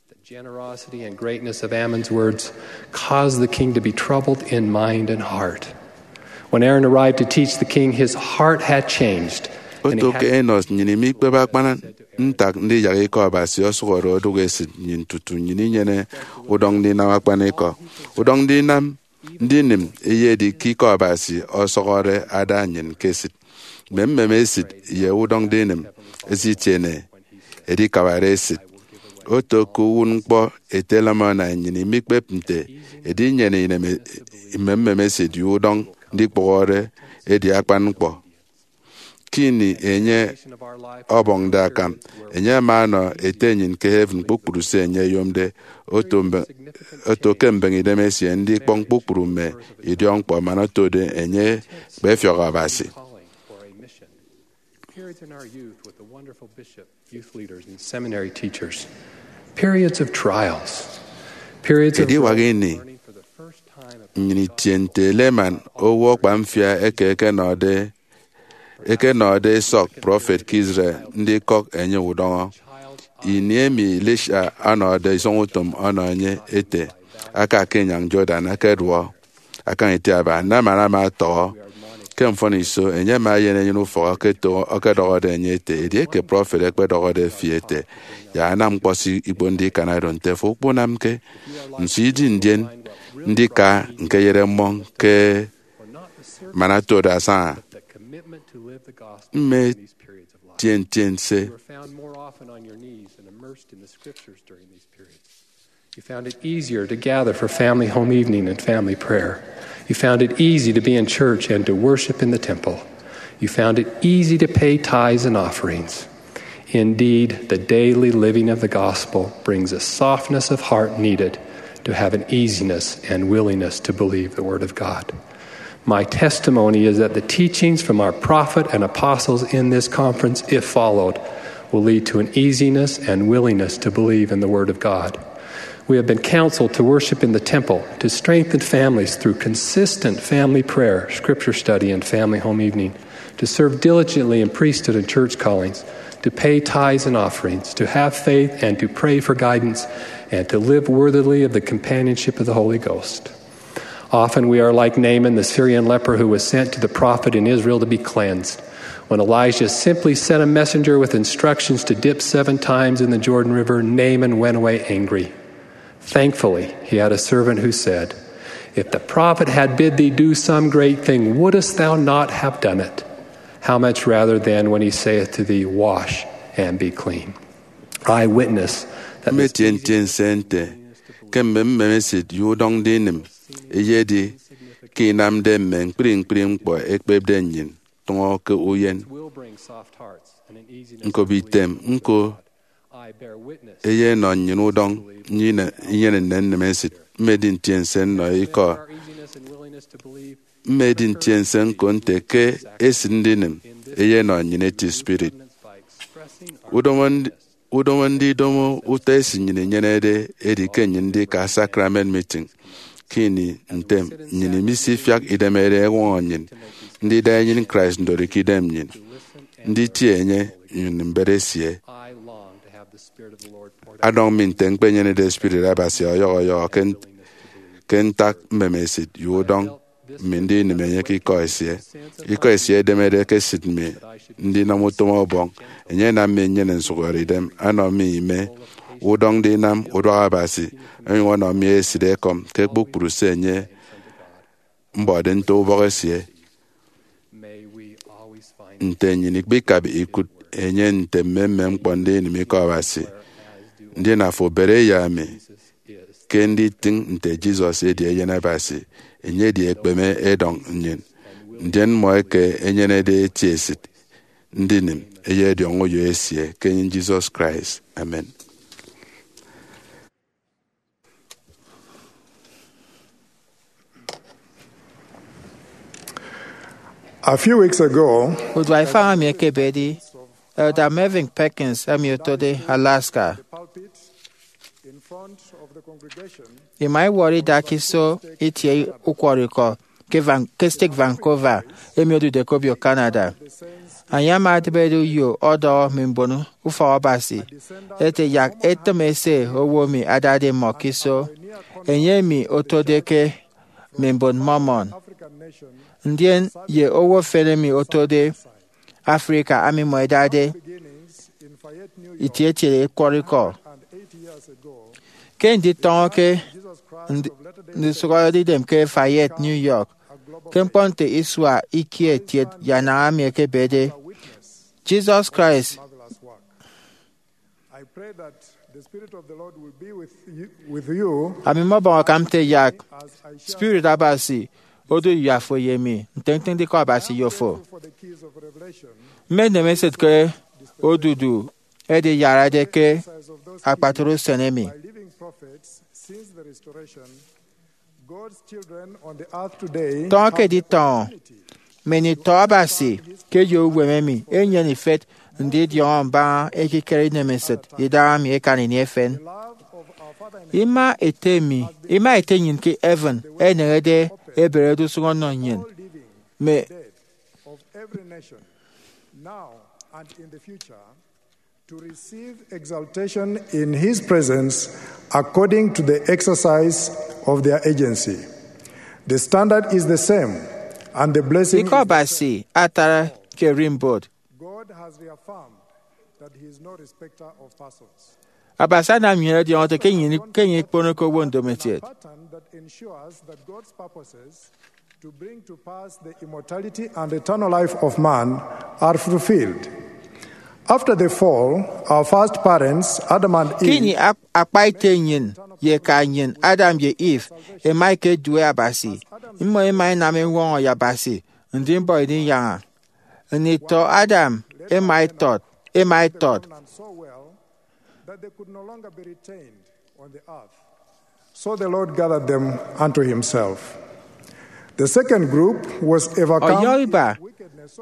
The generosity and greatness of Ammon's words caused the king to be troubled in mind and heart. When Aaron arrived to teach the king, his heart had changed. And he oto had ke Enos, nnyịn imikpep akpan ntak ndiyak ikọ Abasi ọsụhọde odụk esịt nnyịn tutu nnyịn inyene udọñ ndinam akpanikọ. Udọñ ndinam ndinịm eyedi ke ikọ Abasi ọsụhọde ada nnyịn ke esịt. Mme mmeme esịt ye udọñ ndinịm ẹsitiene edikabare esịt. Oto ke uwụtñkpọ ete Lamoni, nnyịn imikpep nte edinyene inem mme mmeme esịt ye udọñ ndikpụhọde edi akpan ñkpọ. Ke ini enye ọbọñde akam, enye ama ọnọ Ete nnyịn ke heaven kpukpru se enye oyomde. Oto mbe- oto ke mbeñe idem esie ndikpọñ kpukpru mme idiọkñkpọ man otode enye ekpefiọk Abasi. Periods in our youth with the wonderful bishop, youth leaders, and seminary teachers. Periods of trials. Periods of ediwak growth, ini learning for the first time about nnyịn itie nte Laman, owo akpamfia eke ekenọde ekenọde esọk prọfet ke Israel ndikọk enye udọñọ. Ini emi Elisha ọnọde isọñutom ọnọ enye ete, aka ke inyañ Jordan, akeduọ akañ itiaba, Laman ama ọtọhọ. Ke mfọniso, enye ama eyen enyịn ufọk oketo- okodọhọde enye ete, edieke prọfet ekpedọhọde fi ete, yak anam ñkpọ se ikponde ikan oro, nte afo ukpunamke? Nso idi ndien ndika ñkeyere mmọñ ke man otode asaña? Mme tientie nse. You found it easier to gather for family home evening and family prayer. You found it easy to be in church and to worship in the temple. You found it easy to pay tithes and offerings. Indeed, the daily living of the gospel brings a softness of heart needed to have an easiness and willingness to believe the word of God. My testimony is that the teachings from our prophet and apostles in this conference, if followed, will lead to an easiness and willingness to believe in the word of God. We have been counseled to worship in the temple, to strengthen families through consistent family prayer, scripture study, and family home evening, to serve diligently in priesthood and church callings, to pay tithes and offerings, to have faith and to pray for guidance, and to live worthily of the companionship of the Holy Ghost. Often we are like Naaman, the Syrian leper who was sent to the prophet in Israel to be cleansed. When Elijah simply sent a messenger with instructions to dip seven times in the Jordan River, Naaman went away angry. Thankfully, he had a servant who said, "If the prophet had bid thee do some great thing, wouldest thou not have done it? How much rather then when he saith to thee, 'Wash and be clean'?" I witness that this mmetie ntie nse nte ke mme mmeme esịt ye udọñ ndinịm eyedi ke inamde mme ñkpri ñkpri ñkpọ ekpepde nnyịn tụñọ ke uyen. Will bring soft hearts and an easiness. Ñkop item ñko eyenọ nnyịn udọñ nnyịn inyene nnennen esịt. Mmedi ntiense nnọ ikọ. Mmedi ntiense ñko nte ke esịt ndinịm eyenọ nnyịn eti spirit. Udomo ndi- udomo ndidomo utọ esịt nnyịn inyenede edi ke nnyịn ndika sacrament meeting. Ke ini ntem, nnyịn imisifiak idemerede ẹñwọñọ nnyịn ndida enyịn Christ ndori ke idem nnyịn, nditie enye nnyụñ mbet esie. Adọñ mi nte ñkpenyenede Spirit Abasi ọyọhọ ọyọhọ ke, ke ntak mmeme esịt ye udọñ mi ndinịm enye ke ikọ esie. Ikọ esie edemede ke esịt mi ndinam utom Ọbọñ. Enye anam mi nnyene nsụhọdeidem, anọ mi ime udọñ ndinam uduak Abasi, onyụñ ọnọ mi esịt ekọm ke kpukpru se enye mbọde nto ubọk esie. Nte nnyịn ikpikabade ikụt enye nte mmemmem ñkpọ ndinịm ikọ Abasi, ndien afo bere ye ami ke nditịñ nte Jesus edi Eyen Abasi, enye edi ekpeme edọñ nnyịn, ndien mmọ eke enyenede eti esịt ndinịm eyediọñ uyo esie ke enye Jesus Christ. Amen. A few weeks ago, udu ifañ emi ekebedi, Elder Mervyn Perkins emi otode Alaska, the pulpit in front of the congregation, ima iwọrọ idak iso itie ukwọrọikọ ke Van- ke steeti Vancouver, emi odude ke obio Canada. Enye ama edịbede uyo ọdọhọ mme mbon ufọk Abasi ete, yak etịm ese owo emi adade mmọ ke iso, enye emi otode ke mme mbon Mormon, ndien ye owo efen emi otode Africa ami mmọ idade itie etiede ukwọrọikọ. Ke nditọñọ ke nd- ndusụk ọyọde idem ke Fayette, New York, ke ñkpọ nte isua ikie kiet ye anañ emi ekebede, Jesus Christ I pray that the Spirit of the Lord will be with you, with you ami mmọbọñ akam nte yak as I share Spirit Abasi odu ye afo ye mi ntịñtịñ ndikọ Abasi ye ofo. For the keys of revelation, mme nnemesịt ke odudu ediyarade ke exercise of those akpatre usen emi. By living prophets since the restoration, God's children on the earth today Tọñọ ke editọñọ mme nditọ Abasi ke eyo uwem emi enyene ifet ndidiọñọ mbaña ekikere inemesịt idahaemi ekan ini efen. Ima ete mi, ima ete nnyịn ke heaven eneñede eberede usụñ ọnọ nnyịn. Mme of every nation, now and in the future, to receive exaltation in his presence according to the exercise of their agency. The standard is the same, and the blessing Ikọ is the Abasi atara ke erimbot. God has reaffirmed that he is no respecter of persons. Abasi anam nnyịn ẹdiọñọ ete ke nnyịn ke nnyịn ikponke owo ndomokiet. Pattern that ensures that God's purposes to bring to pass the immortality and eternal life of man are fulfilled. After the fall, our first parents, Adam and Eve, ke ini ak- akpa ite nnyịn ye eka nnyịn, Adam ye Eve, ẹma ẹkedue Abasi. Mmọ ẹma ẹnam eñwọñọ ye Abasi, ndimbọ idinyaña. Nditọ Adam ẹma ẹtọt, ẹma ẹtọt. That they could no longer be retained on the earth. So the Lord gathered them unto himself. The second group was overcome Ọyọhọ iba,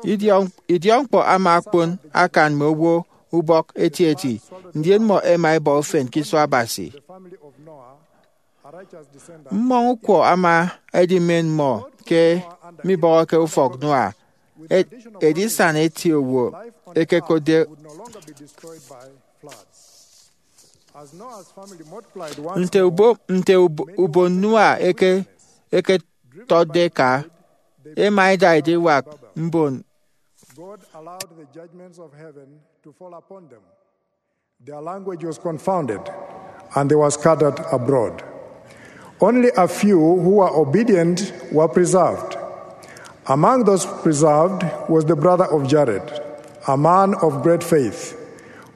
idiọk- idiọkñkpọ ama okpon akan mme owo ubọk etieti, ndien mmọ ẹma ẹbọ ufen ke iso Abasi. The family of Noah, a righteous descendant. Mmọñ ukwọ ama edimen mmọ ke mibọhọke ufọk Noah, e- edisana eti owo ekekotde. Nte ubo- nte ubo- ubon Noah eke- eketọtde eka, ema ida ediwak mbon. God allowed the judgments of heaven to fall upon them. Their language was confounded, and they were scattered abroad. Only a few who were obedient were preserved. Among those preserved was the brother of Jared, a man of great faith,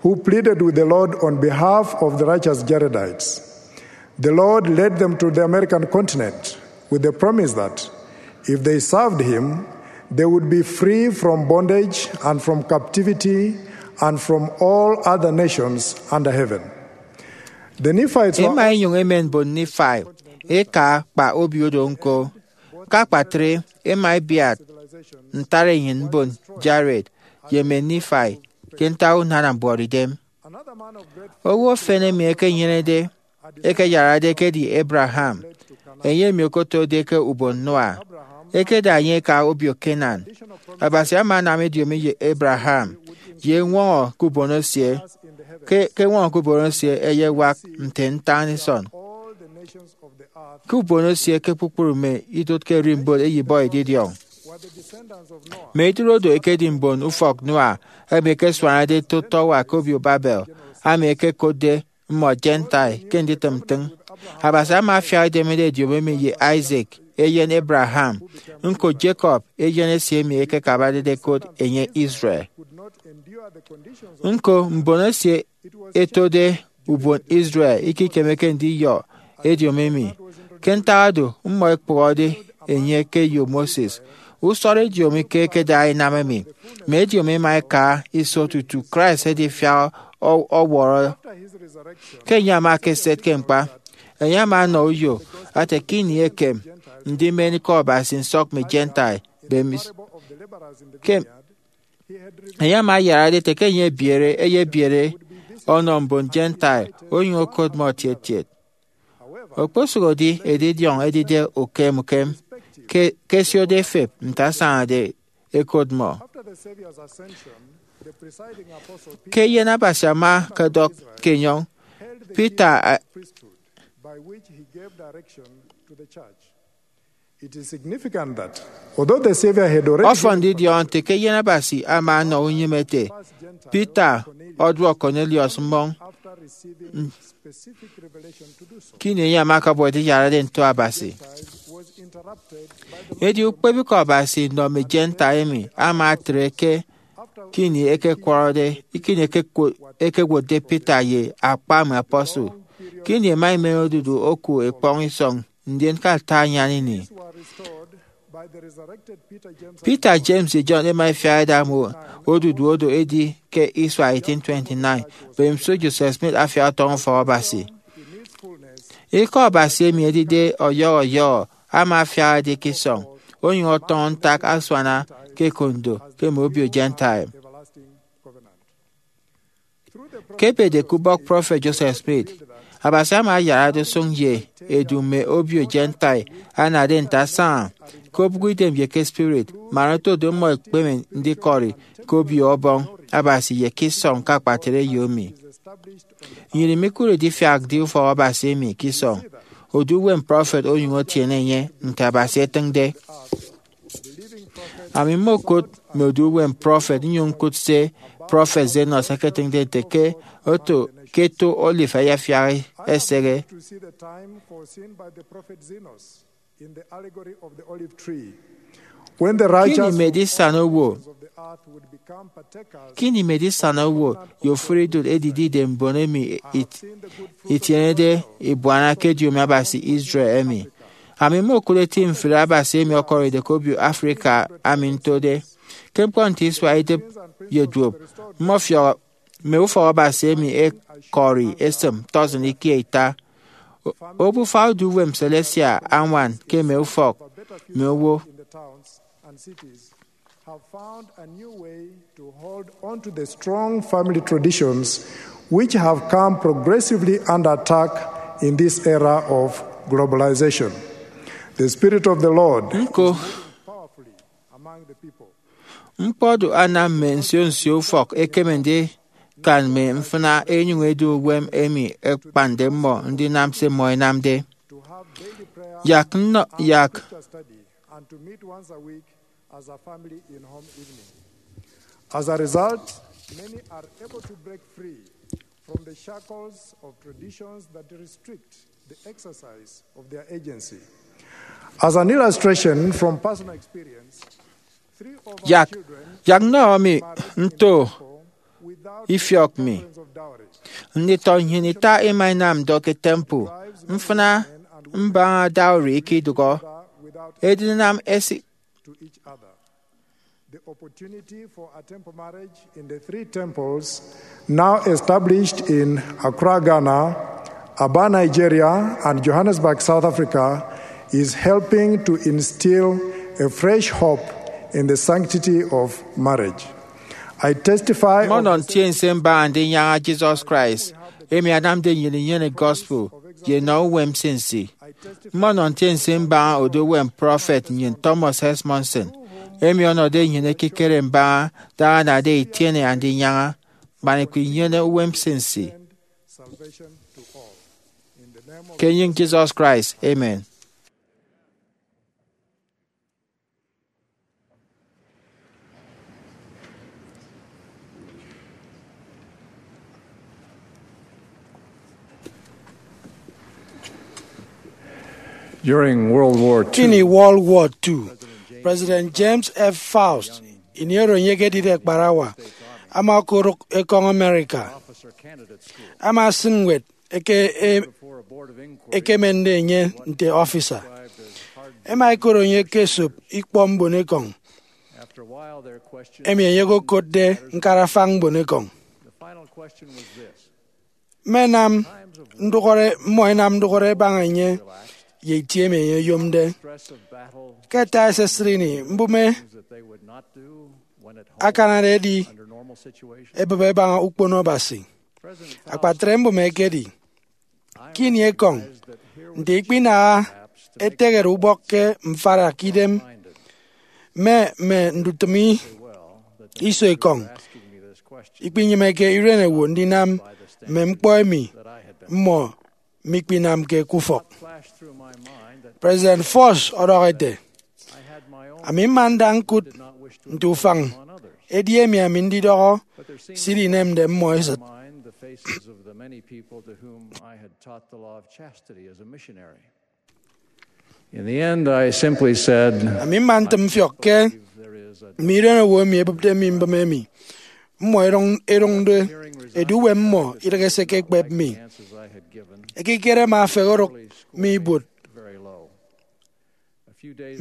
who pleaded with the Lord on behalf of the righteous Jaredites. The Lord led them to the American continent with the promise that if they served him, they would be free from bondage and from captivity and from all other nations under heaven. The Nephites were Ema enyụñ emen mbon Nifai eka kpa obio do ñko. Ke akpatre, ema ebiat ntara enyịn mbon Jared ye mme Nifai ke ntak unana mbuọtidem. Owo efen emi ekenyenede ekeyarade ekedi Abraham, enye emi okotode ke ubon Noah. Ekeda enye eka obio Canaan. Abasi ama anam ediomi ye Abraham ye eñwọñọ ke ubon esie, ke ke eñwọñọ ke ubon esie eyewak nte ntañisọn ke ubon esie ke kpukpru mme idụt ke erimbot eyibọ edidiọñ. Mme idụt odo ekedi mbon ufọk Noah emi ekesuanade toto uwa ke obio Babel, emi ekekotde mmọ Gentile ke nditịm ntịñ. Abasi ama afiak idemede ediomi emi ye Isaac, eyen Abraham, ñko Jacob, eyen esie emi ekekabade ekot enye Israel. Ñko mbon esie etode ubon Israel ikikemeke ndiyọ ediomi emi. Ke ntak oro, mmọ ẹkpụhọde enye ke eyo Moses. Usọrọ ediomi ke ẹkeda ẹnam emi. Mme ediomi ẹma ẹka iso tutu Christ edifiak ọ- ọwọrọ. Ke enye ama ekeset ke ñkpa, enye ama ọnọ uyo ete ke ini ekem ndimen ikọ Abasi nsọk mme Gentile, bemis. Ke enye ama ayarade ete ke enye ebiere, eyebiere ọnọ mbon Gentile, onyụñ okot mmọ etietiet. Okposụkedi edidiọñ edide ukem ukem ke ẹsiode ẹfep nte asañade ẹkot mmọ. Ke eyen Abasi ama ọkọdọk ke enyọñ, Peter a- Ọfọn ndidiọñọ nte ke eyen Abasi ama ọnọ unyịme ete, Peter ọduọk Cornelius mmọñ, ke ini enye ama ọkọbọ ediyarade nto Abasi. Edi ukpepñkpọ Abasi nnọ mme Gentile emi ama etre ke ke ini ẹkekwọrọde, ke ini ẹkekwo- ẹkewotde Peter ye akpa mme apostle, ke ini ẹma ẹmen odudu oku ekpọñ isọñ, ndien ke ata anyan ini, Peter, James, ye John ẹma ẹfiak ẹda mme odudu oro edi ke isua eighteen twenty-nine, mbemiso Joseph Smith afiak ọtọñọ ufọk Abasi. Ikọ Abasi emi edide ọyọhọ ọyọhọ ama afiak edi ke isọñ, onyụñ ọtọñọ ntak asuana ke ekondo ke mme obio Gentile. Ke ebede ke ubọk prọfet Joseph Smith, Abasi ama ayarade usụñ ye edu mme obio Gentile anade nte asaña ke obụk idem ye ke spirit, man oto do mmọ ẹkpeme ndikọri ke Obio Ọbọñ Abasi ye ke isọñ ke akpatre eyo emi. Nnyịn imikụre idifiakde ufọk Abasi emi ke isọñ, odu uwem prọfet onyụñ etiene enye nte Abasi etịñde. Ami mmokụt mme odu uwem prọfet nnyụñ ñkụt se prọfet Zenos eketịñde nte ke oto ke eto olive ayafiak esehe. Ke ini mme edisana owo, ke ini mme edisana owo ye ofụri idụt edidide mbon emi it- itienede ibuana ke ediomi Abasi Israel emi, ami mmokụt eti mfri Abasi emi ọkọride ke obio Africa ami ntode. Ke ñkpọ nte isua idịp ye duop, mmọfiọk mme ufọk Abasi emi ẹkọri esịm tọsịn ikie ita. O- obufa odu uwem celestial añwan ke mme ufọk mme owo. Have found a new way to hold on to the strong family traditions which have come progressively under attack in this era of globalization. The Spirit of the Lord Ñko, powerfully among the people. Ñkpọ do anam mme nsio nsio ufọk ẹkeme ndikan mme mfịna ẹnyụñ ẹdu uwem emi ẹkpande mmọ ndinam se mmọ ẹnamde. Yak nnọ yak and to meet once a week as a family in home evening. As a result, many are able to break free from the shackles of traditions that restrict the exercise of their agency. As an illustration from personal experience, three of our yak children yak nnọ mi nto without ifiọk mi. Nditọ nnyịn ita ima inam ndọ ke temple. Mfịna mbaña dowry ikidụhọ edinam esịk to each other. The opportunity for a temple marriage in the three temples now established in Accra, Ghana, Aba, Nigeria, and Johannesburg, South Africa, is helping to instill a fresh hope in the sanctity of marriage. I testify of mmọnọ ntiense mbaña ndinyaña Jesus Christ emi anamde nnyịn inyene gospel ye nọ uwem nsinsi. Mmọnọ ntiense mbaña odu uwem prọfet nnyịn Thomas S. Monson, emi ọnọde nnyịn ekikere mbaña daña anade itiene andinyaña, man ikpinyene uwem nsinsi. Ke enyịñ Jesus Christ, amen. During World War Two, ini World War Two, President James F. Faust, ini oro enye ekedide akparawa, ama okodụk ekọñ America. Ama asịn ñwed eke e- ekemende enye nte officer. Ẹma ẹkot enye ke esop ikpọ mbonekọñ emi enye okokotde ñkarafañ mbonekọñ. Mmenam ndụhọre, mmọ ẹnam ndụhọre ẹbaña enye ye itie emi enye oyomde. Ke ẹta esesịt ini, mbụme akanade ẹdi ẹbịp ẹbaña ukpono Abasi. Akpatre mbụme ekedi ke ini ekọñ, nte ikpinaha etehere ubọk ke mfarakidem mme mme ndutịm iso ekọñ, ikpinyịmeke irenowo ndinam mme ñkpọ emi mmọ mikpinamke ke ufọk. President Fox ọdọhọ ete, "Ami mma nda ñkụt nte ufañ edi emi ami ndidọhọ se idinemde mmọ esịt." In the end, I simply said, "Ami mma ntịm mfiọk ke mme irenowo emi ebịpde mi mbịm emi. Mmọ erụñ erụñde edu uwem mmọ idịghe se ẹkekpep mi. Ekikere mme afehe orụk mi ibuot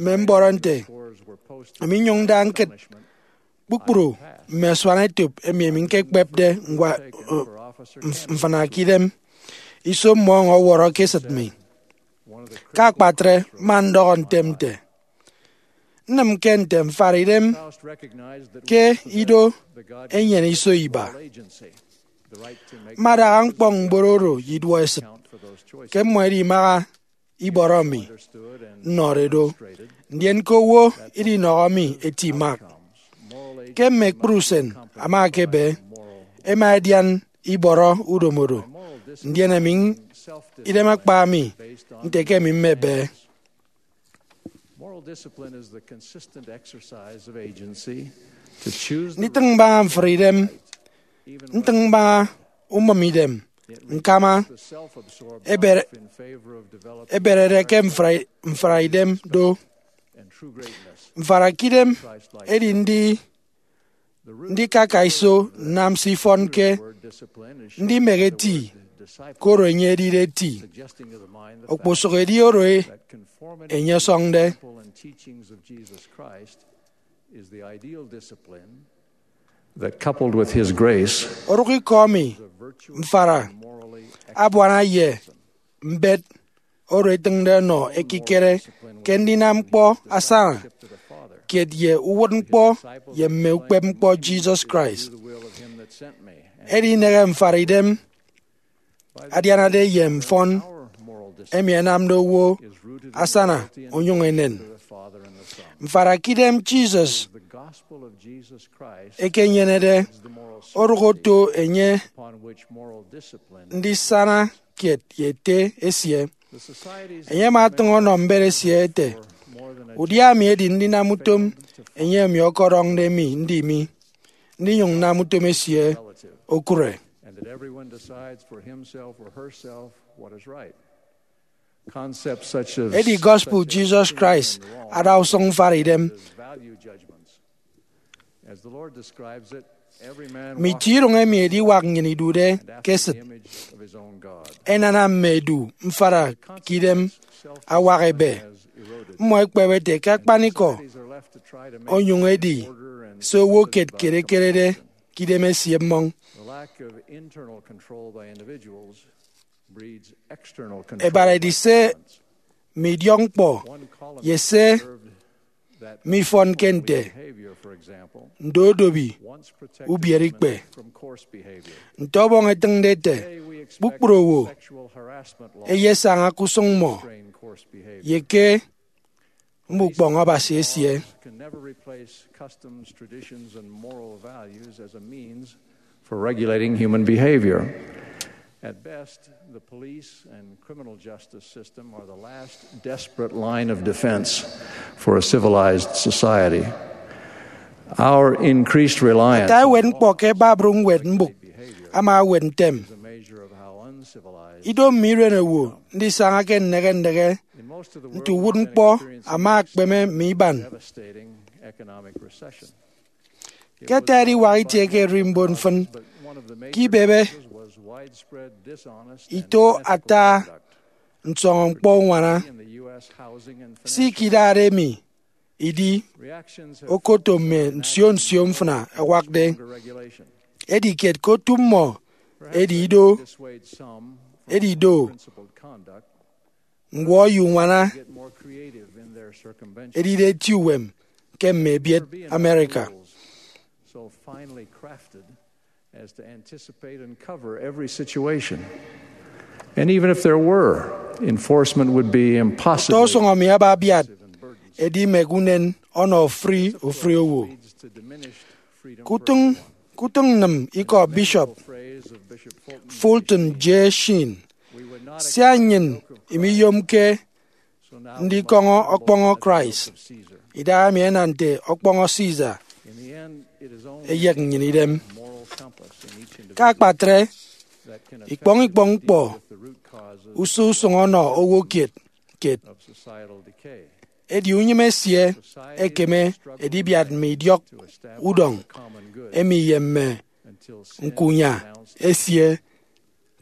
mme mbọrọ nte ami nnyụñ nda ñkịt kpukpru mme asuanetop emi ami ñkekpepde ñkwa mfịna ke idem iso mmọ ọwọrọ ke esịt mi." Ke akpatre, mma ndọhọ ntem nte, "Nnịmke nte mfara idem ke ido enyene iso iba. Mmadaha ñkpọñ mbon oro ye iduọ esịt ke mmọ ẹdimaha ibọrọ mi nnọrọ do, ndien ke owo idinọhọ mi eti Mark. Ke mme ekpri usen ama ekebe, ẹma ẹdian ibọrọ udomodo, ndien ami idem akpa mi nte ke ami mmebe." Nditịñ mbaña mfri idem, ntịñ mbaña umịm idem, ñkama, ebere- eberede ke mfra- mfra idem do. Mfara ke idem edi ndi- ndikaka iso nnam se ifọnke ndimehe eti, koro enye edide eti, okposụk edi oro enye ọsọñde. That coupled with his grace, orụk ikọ emi mfara abuana ye mbet oro etịñde ọnọ ekikere ke ndinam ñkpọ asana kiet ye uwụtñkpọ ye mme ukpepñkpọ Jesus Christ. Edi inehe mfara idem adianade ye mfọn emi ẹnamde owo asana onyụñ enen. Mfara ke idem Jesus ekenyenede orụk oto enye ndisana kiet ye ete esie. Enye ama atịñ ọnọ mbet esie ete, "Udia emi edi ndinam utom enye emi ọkọdọñde mi ndi mi, ndinyụñ nnam utom esie okụre." Edi gospel Jesus Christ ada usụñ mfara idem. Mme itie iroñ emi ediwak nnyịn idude ke esịt ẹnana mme edu mfara ke idem awak ebe. Mmọ ẹkpep ete ke akpanikọ onyụñ edi se owo kiet kiet ekerede ke idem esie mmọñ. Ẹbara ẹdi se midiọk ñkpọ ye se mifọnke nte ndodobi ubiereikpe. Nte Ọbọñ etịñde ete, kpukpru owo ẹyesaña ke usụñ mmọ ye ke mme ukpọñ Abasi esie. For regulating human behavior. At best, the police and criminal justice system are the last desperate line of defense for a civilized society. Our increased reliance. Ata ewet ñkpọ ke babru ñwed mbụk ama ewet ntem. Ido mme iren owo ndisaña ke nnehe nnehe nte uwụtñkpọ ama akpeme mme iban. Ke ata ediwak itie ke ererimbot mfịn, ke ibebe ito ata nsọñọ ñkpọ uñwana, se ikidade emi idi okoto mme nsio nsio mfịna ẹwakde. Edi kiet ke otu mmọ edi ido, edi do, ñwọ ye uñwana edide eti uwem ke mme ebiet America. So finely crafted as to anticipate and cover every situation. And even if there were, enforcement would be impossible. Ọtọ usụñ emi aba abiat edimek unen ọnọ ofụri ofụri owo. Kutịñ kutịñ nnịm ikọ Bishop Fulton J. Sheen, sia nnyịn imiyomke ndikọñọ ọkpọñọ Christ idahaemi ẹnam nte ọkpọñọ Caesar eyek nnyịn idem. Ke akpatre, ikpọñ ikpọñ ñkpọ usọ usụñ ọnọ owo kiet kiet. Edi unyịme esie ekeme edibiat mme idiọk udọñ emi ye mme ñkuña esie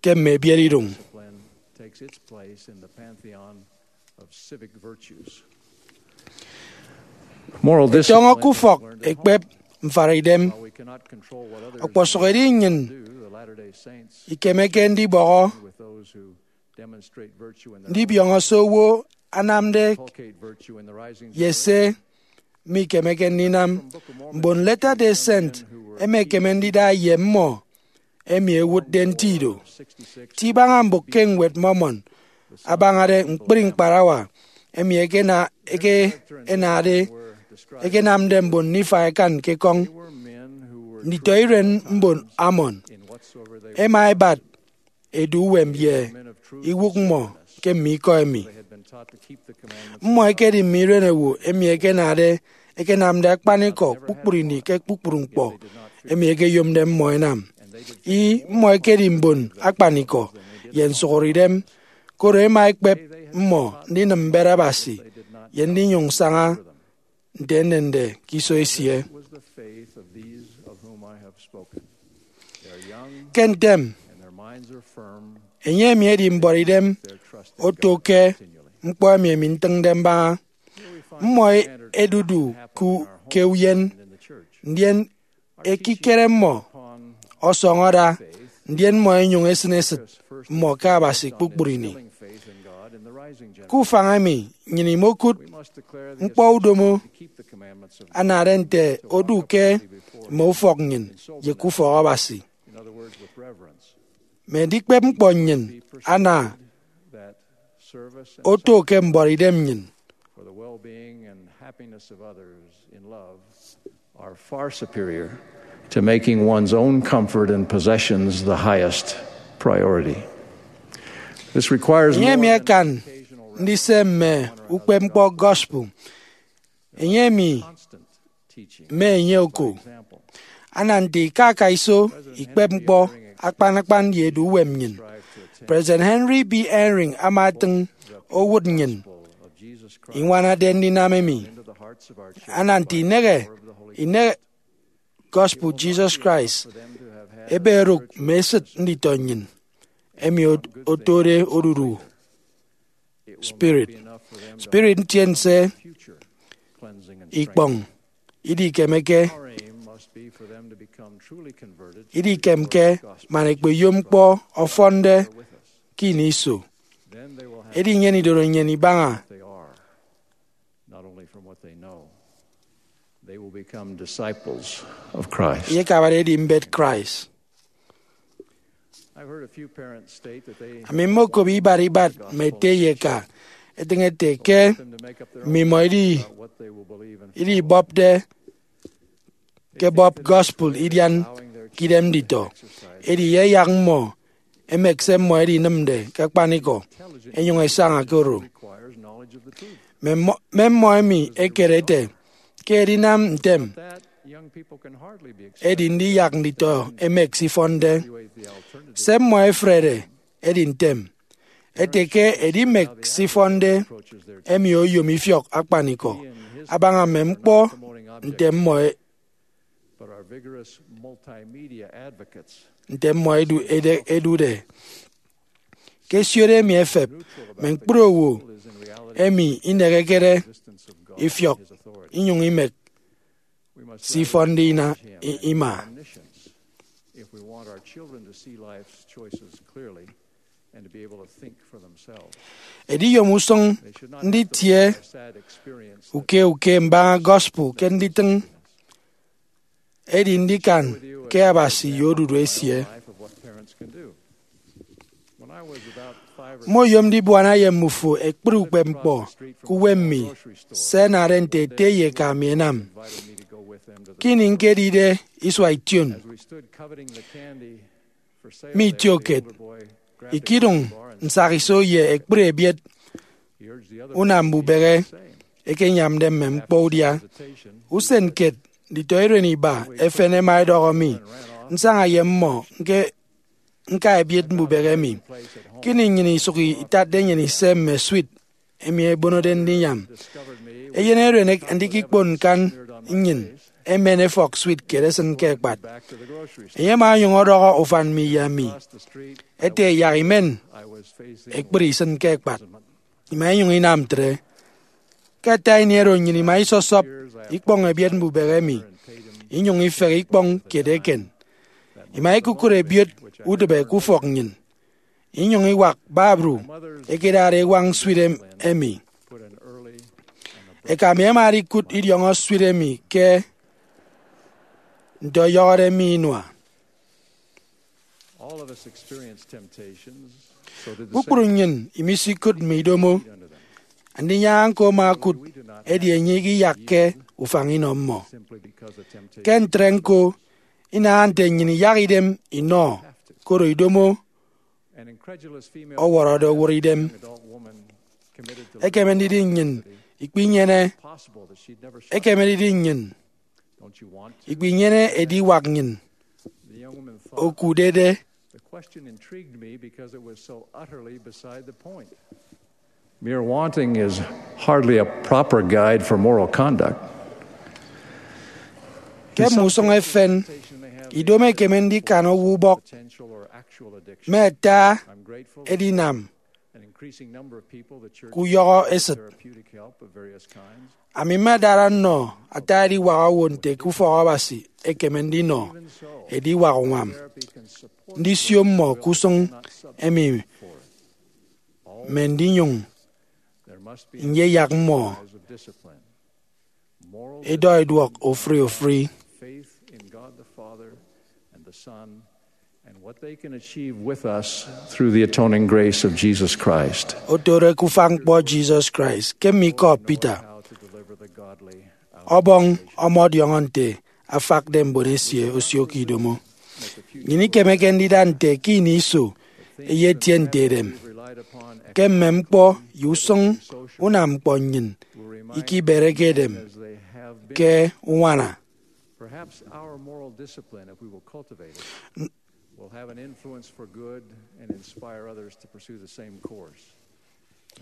ke mme ebiet iduñ. Moral discipline. Tọñọ ke ufọk ekpep mfara idem. Ọkpọsụk edi nnyịn ikemeke ndibọhọ ndibiọñọ se owo anamde ye se mikemeke ndinam. Mbon Latter-day Saint ẹmekeme ndida ye mmọ emi ẹwụtde nti ido. Ti ibaña mbụk ke Ñwed Mormon abañade ñkpri ñkparawa emi ẹkena- ẹke- ẹnade ẹkenamde mbon Nifai ẹkan ke ekọñ. Nditọiren mbon Ammon ẹma ẹbat edu uwem ye iwụk mmọ ke mme ikọ emi. Mmọ ẹkedi mme iren owo emi ẹkenade ẹkenamde akpanikọ kpukpru ini ke kpukpru ñkpọ emi ẹkeyomde mmọ ẹnam. Ih, mmọ ẹkedi mbon akpanikọ ye nsụhọre idem, koro ẹma ẹkpep mmọ ndinịm mbet Abasi ye ndinyụñ saña nte enende ke iso esie. Ke ntem, enye emi edi mbuọtidem oto ke ñkpọ emi emi ntịñde mbaña. Mmọ ẹdudu ku- ke uyen, ndien ekikere mmọ ọsọñọ ada, ndien mmọ ẹnyụñ ẹsịn esịt mmọ ke Abasi kpukpru ini. Ke ufañ emi, nnyịn imokụt ñkpọ udomo anade nte odu ke mme ufọk nnyịn ye ke ufọk Abasi. Mme edikpep ñkpọ nnyịn ana oto ke mbuọtidem nnyịn. For the well-being and happiness of others in love are far superior to making one's own comfort and possessions the highest priority. This requires enye emi more akan ndise mme ukpepñkpọ gospel. Enye emi mme enye oko ana nte ika aka iso ikpep ñkpọ akpan akpan ye edu uwem nnyịn. President Henry B. Eyring ama etịñ owụt nnyịn iñwanade ndinam emi. Ana nte inehe inehe gospel Jesus Christ ebe erụk mme esịt nditọ nnyịn emi otode odudu spirit. Spirit ntiense ikpọñ idikemeke idikemke man ẹkpeyom ñkpọ ọfọnde ke ini iso. Edi nnyịn idoro nnyịn ibaña. Not only from what they know, they will become disciples of Christ. Ye ẹkabade edi mbet Christ. I've heard a few parents state that they ami mmokop ibat ibat mme ete ye eka etịñ ete ke mmimọ idi idibọpde ke bọp gospel idian ke idem nditọ. Edi iyayak mmọ emek se mmọ edinịmde ke akpanikọ, enyụñ esaña ke oro. Mme mmọ emi ekere ete ke edinam ntem edi ndiyak nditọ emek se ifọnde. Se mmọ efrede edi ntem ete ke edimek se ifọnde emi oyom ifiọk akpanikọ abaña mme ñkpọ nte mmọ nte mmọ edu- ede- edude. Ke ẹsiode emi ẹfep, mme ñkpri owo emi inehekede ifiọk inyụñ imek se ifọnde ina- i- ima. If we want our children to see life's choices clearly and to be able to think for themselves, ediyom usụñ nditie uke uke mbaña gospel ke nditịñ edi ndikan ke Abasi ye odudu esie. Life of what parents can do. When I was about Mmoyom ndibuana ye mmufo ekpri ukpepñkpọ ke uwem mi se ẹnade nte ete ye eka mi ẹnam. Ke ini ñkedide isua ition, mi itiokiet, ikidụñ nsakiso ye ekpri ebiet unam mbubehe ẹkenyamde mme ñkpọ udia. Usen kiet, nditọiren iba efen ẹma ẹdọhọ mi nsaña ye mmọ ñka ebiet mbubehe emi. Ke ini nnyịn isụk itatde nnyịn ise mme sweet emi ẹbonode ndinyam, eyen eren andikikpon ñkan nnyịn emen efọk sweet kiet esịn ke ekpat. Enye ama onyụñ ọdọhọ ufan mi ye ami ete yak imen ekpri isịn ke ekpat. Ima inyụñ inam ntre. Ke ata ini oro nnyịn ima isọsọp ikpọñ ebiet mbubehe emi, inyụñ ifehe ikpọñ kiet eken. Ima ikukụt ebiet udịbe ke ufọk nnyịn, inyụñ iwak babru ẹkedade ewañ sweet emi. Eka mi ama edikụt idiọñọ sweet emi ke nte ọyọhọde mi inua. Kpukpru nnyịn imisikụt mme idomo. Andinyaña ñko ama okụt, edi enye ikiyakke ufañ inọ mmọ. Ke ntre ñko, inaha nte nnyịn iyak idem inọ, koro idomo ọwọrọde owụt idem. Ekeme ndidi nnyịn ikpinyene, ekeme ndidi nnyịn ikpinyene ediwak nnyịn okudede. The question intrigued me because it was so utterly beside the point. Mere wanting is hardly a proper guide for moral conduct. Ke mme usụñ efen, idomo ekeme ndikan owo ubọk mme ata edinam ke uyọhọ esịt. Ami mmedara nnọ ata ediwak owo nte ke ufọk Abasi ekeme ndinọ ediwak uñwam, ndisio mmọ ke usụñ emi, mme ndinyụñ nyeyak mmọ edọ iduọk ofụri ofụri. Faith in God the Father and the Son and what they can achieve with us through the atoning grace of Jesus Christ. Otode ke ufañ ñkpọ Jesus Christ, ke mme ikọ Peter, ọbọñ ọmọdiọñọ nte afakde mbon esie osio ke idomo. Nnyịn ikemeke ndida nte ke ini iso eyetie nte edem, ke mme ñkpọ ye usụñ unam ñkpọ nnyịn ikibereke edem ke uñwana. Perhaps our moral discipline, if we will cultivate it, will have an influence for good and inspire others to pursue the same course.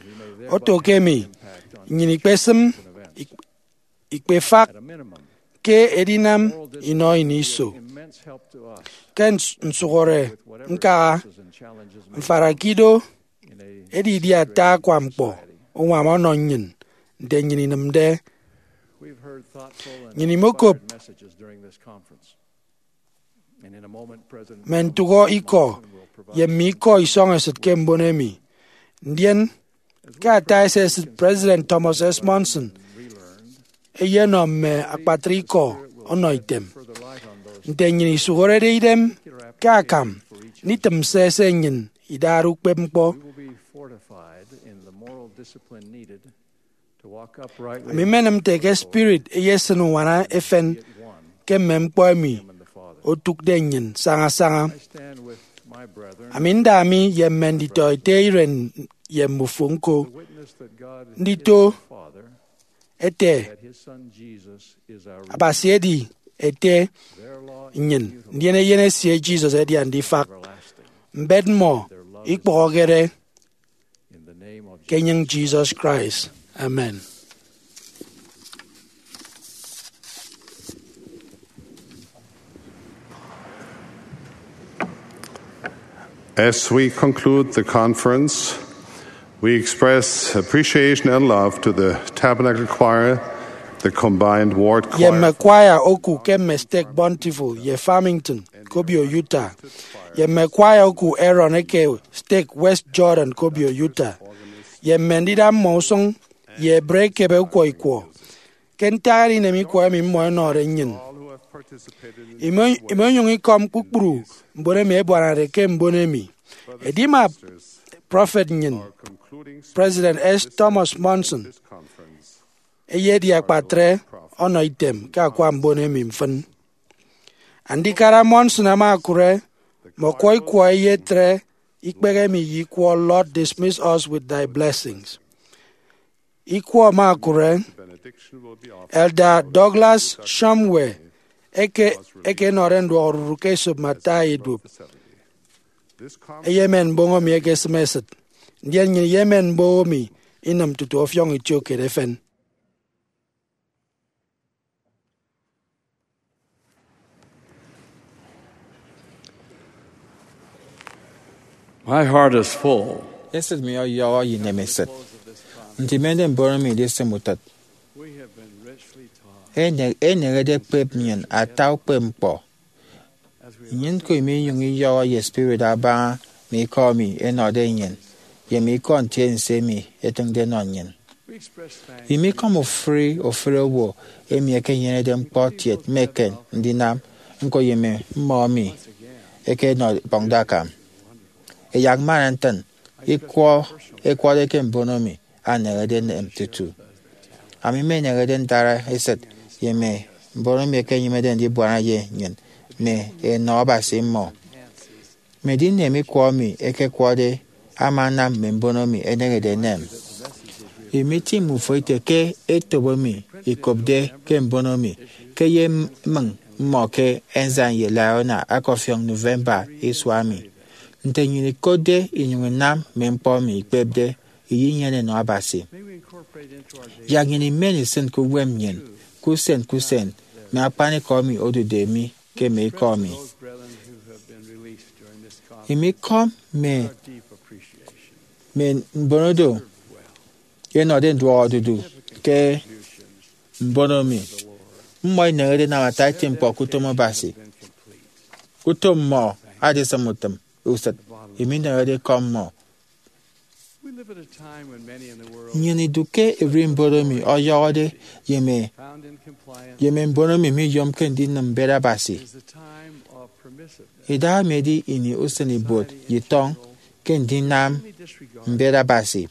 We may thereby Oto ke emi, have an impact on nnyịn ikpesịm events. Ik- ikpefak ke edinam inọ ini iso. Ke ns- nsụhọre ñkaha, mfarakido edidi ata akwa ñkpọ uñwam ọnọ nnyịn nte nnyịn inịmde. Nnyịn imokop mme ntụhọ ikọ ye mme ikọ isọñesịt ke mbon emi. Ndien, ke ata esesịt, President Thomas S. Monson eyenọ mme akpatre ikọ ọnọ item. Nte nnyịn isụhọrede idem ke akam nditịm se se nnyịn idade ukpepñkpọ, ami mmenịm nte ke spirit eyesịn uñwana efen ke mme ñkpọ emi otụkde nnyịn sañasaña. Ami nda mi ye mme nditọete iren ye mmufo ñko ndito ete Abasi edi Ete nnyịn, ndien Eyen esie Jesus edi Andifak. Mbet mmọ ikpọhọkede. Ke enyịñ Jesus Christ, amen. As we conclude the conference, we express appreciation and love to the Tabernacle Choir, the combined ward choir, ye mme kwaya oku ke mme stek Bountiful ye Farmington, Kobio, Utah, ye mme kwaya oku Aaron eke stek West Jordan, Kobio, Utah, ye mme ndida mmọ usụñ ye ebre ekebe ukwọ ikwọ. Ke ntak edinem ikwọ emi mmọ ẹnọde nnyịn, imo- imonyụñ ikọm kpukpru mbon emi ẹbuanade ke mbon emi. Edimap Prọfet nnyịn, President S. Thomas Monson, eyedi akpatre ọnọ item ke akwa mbon emi mfịn. Andikara Monson ama okụre mme ọkwọ ikwọ eyetre ikpehe emi ye ikwọ Lord, dismiss us with thy blessings. Ikwọ ama okụre Elder Douglas Shumway eke ekenọde nduọk odudu ke esop Mattai iduop. Eyemen mboho mi ekesịm esịt, ndien nnyịn iyemen mboho mi inịm tutu ọfiọñ itiokiet efen. My heart is full. Esịt mi ọyọhọ ye inemesịt nte imende mbon mi idisịm utịt. Ene- enehede ekpep nnyịn ata ukpepñkpọ. Nnyịn ñko imenyụñ iyọhọ ye spirit abaña mme ikọ emi ẹnọde nnyịn ye mme ikọ ntiense emi ẹtịñde ẹnọ nnyịn. Imikọm ofụri ofụri owo emi ẹkenyenede ñkpọ kiet mme eken ndinam ñko ye mme mmọ emi ẹkenọbọñde akam. Ẹyak mmana ntịn ikwọ ẹkwọde ke mbono mi anehede enem tutu. Ami mmenehede ndara esịt ye mme mbon emi ẹkenyịmede ndibuana ye nnyịn mme enọ Abasi mmọ. Mme edinem ikwọ emi ẹkekwọde ama anam mme mbono mi ẹnehede enem. Imitiñ ufo ite ke etop emi ikopde ke mbono mi ke ye mmịñ mmọ ke Ensign ye Liahona akọfiọñ November isua emi. Nte nnyịn ikotde inyụñ inam mme ñkpọ emi ikpepde, iyenyene enọ Abasi. Yak nnyịn imen isịn ke uwem nnyịn ke usen ke usen mme akpanikọ emi odude mi ke mme ikọ mi. Imikọm mme mme mbono do ẹnọde nduọk odudu ke mbono mi. Mmọ inehede ẹnam ata eti ñkpọ ke utom Abasi. Utom mmọ adisịm utịm usịt, emi inehede ikọ mmọ. Nnyịn idu ke ererimbot emi ọyọhọde ye mme ye mme mbon emi miyomke ndinịm mbet Abasi. Idaha emi edi ini usen ibuot ye itọñ ke ndinam mbet Abasi.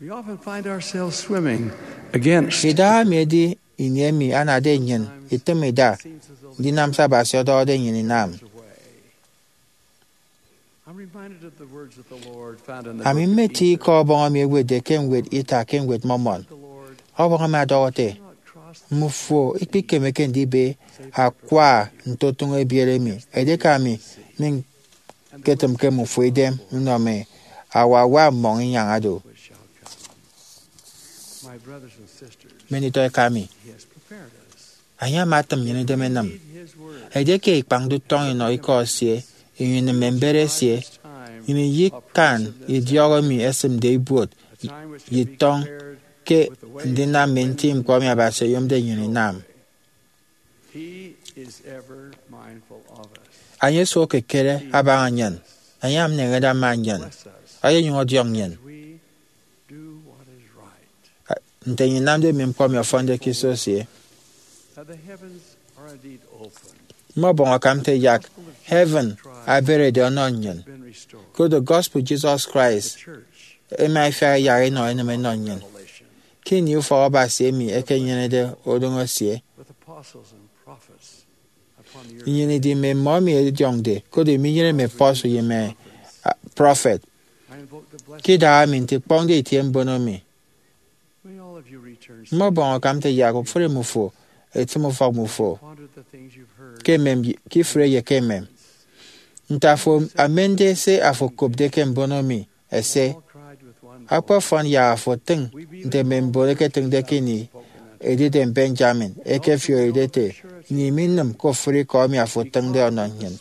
We often find ourselves swimming against Idaha emi edi ini emi anade nnyịn itịm ida ndinam se Abasi ọdọhọde nnyịn inam. I'm reminded of the words that the Lord found in the Ami book of mmeti Ether. Ikọ Ọbọñ emi ewetde ke ñwed Ita ke ñwed Mormon. The Lord Ọbọñ emi ọdọhọ ete, cannot cross the Mmufo ikpikemeke ndibe akwa ntotụñ ebiet emi, edieke ami mi ñketịmke mmufo idem nnọ mme awawa mmọñ inyaña do. Which shall come. My brothers and sisters, Many to eka mi. He has prepared us. Enye ama atịm nnyịn idem inịm. Edieke ikpañde utọñ inọ ikọ esie, inyụñ inịm mme mbet esie, nnyịn iyikan idiọk emi esịmde ibuot ye itọñ ke ndinam mme nti ñkpọ emi Abasi oyomde nnyịn inam. Enye esuk ekekere abaña nnyịn. Enye ama eneñede ama nnyịn. Eyenyụñ ọdiọñ nnyịn nte nnyịn inamde mme ñkpọ emi ọfọnde ke iso esie. Mme ọbọñ akam nte yak heaven aberede ọnọ nnyịn. Koro gospel Jesus Christ ema ifiak iyak inọ enịm enọ nnyịn. Ke ini ufọk Abasi emi ekenyenede udọñ esie, nnyịn idi mme mmọ emi ẹdiọñde, koro iminyene mme apostle ye mme, ah, prọfet. Ke idaha emi nte ikpọñde itie mbono mi. Mme ọbọñ akam nte yak ofụri mmufo etịm ufọk mmufo ke emem, ke ifụre ye ke emem. Nte afo amende se afo okopde ke mbono mi ese, akpafọn yak afo otịñ nte mme mbon ẹketịñde ke ini edidem Benjamin ẹkefioride ete, nnyịn iminịm ke ofụri ikọ emi afo otịñde ọnọ nnyịn.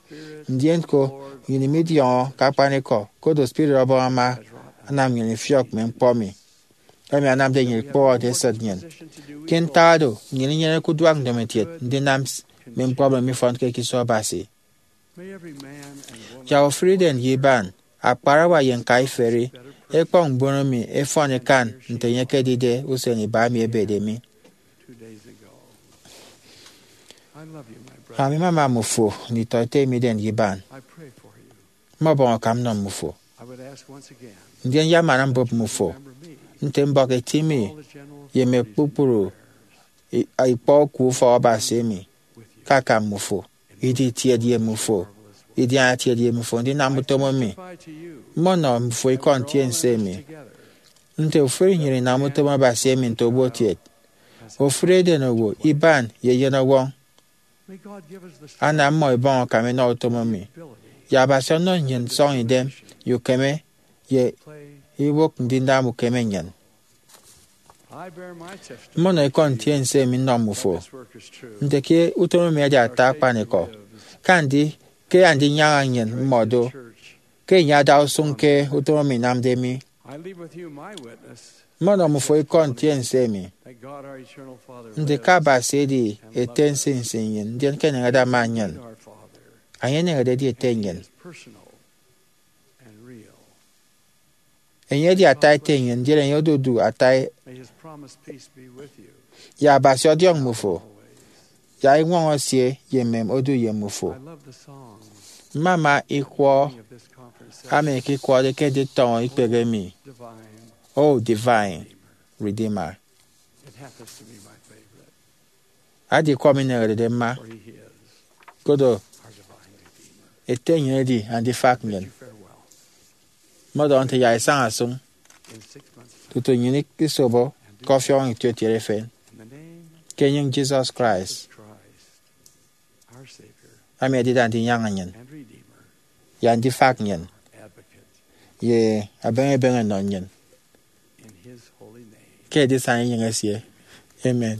Ndien ko, nnyịn imidiọñọ ke akpanikọ, koro spirit Ọbọñ ama anam nnyịn ifiọk mme ñkpọ mi emi anamde nnyịn ikpụhọde esịt nnyịn. Ke ntak oro, nnyịn inyeneke uduak ndomokiet ndinam s-, mme ñkpọ emi mifọnke ke iso Abasi. Yak ofụri idem ye iban, akparawa ye ñkaiferi, ẹkpọñ mbono mi ẹfọn ẹkan nte enye ekedide usen iba emi ebede mi. Ami mmama mmufo nditọete emi idem ye iban. Mmọbọñ akam nnọ mmufo. Ndien ye amana mbụp mmufo nte mbọk eti mi ye mme kpukpru i- ikpọ oku ufọk Abasi emi ke akam mmufo, idi tiet ye mmufo, idiana tiet ye mmufo ndinam utom emi. Mmọnọ mmufo ikọ ntiense emi nte ofụri nnyịn inam utom Abasi emi nte obuotiet, ofụri edenowo, iban, ye eyenọwọñ. Ana mmọ ibọñ akam inọ utom emi, ye Abasi ọnọ nnyịn nsọñidem ye ukeme ye iwụk ndinam ukeme nnyịn. Mmọnọ ikọ ntiense emi nnọ mmufo nte ke utom emi edi ata akpanikọ, ke andi ke andinyaña nnyịn mmọ do, ke enye ada usụñ ke utom emi inamde mi. Mmọnọ mmufo ikọ ntiense emi nte ke Abasi edi Ete nsinsi nnyịn, ndien ke eneñede ama nnyịn. Enye eneñede edi Ete nnyịn. Enye edi ata ete nnyịn, ndien enye odudu ata ye Abasi ọdiọñ mmufo, ya iñwọñọ esie ye emem odu ye mmufo. Mmama ikwọ emi ẹkekwọde ke nditọñọ ikpehe emi, O Divine Redeemer. Adi ikwọ mi ineñerede mma, kodo Ete nnyịn edi Andifak nnyịn. Mmọdọhọ nte ya isaña sụñ tutu nnyịn isobo ke ọfiọñ itiotiet efen, ke enyịñ Jesus Christ, ami edida ndinyaña nnyịn, ya Andifak nnyịn, ye abeñebeñe nnọ nnyịn, ke edisana enyịñ esie. Amen.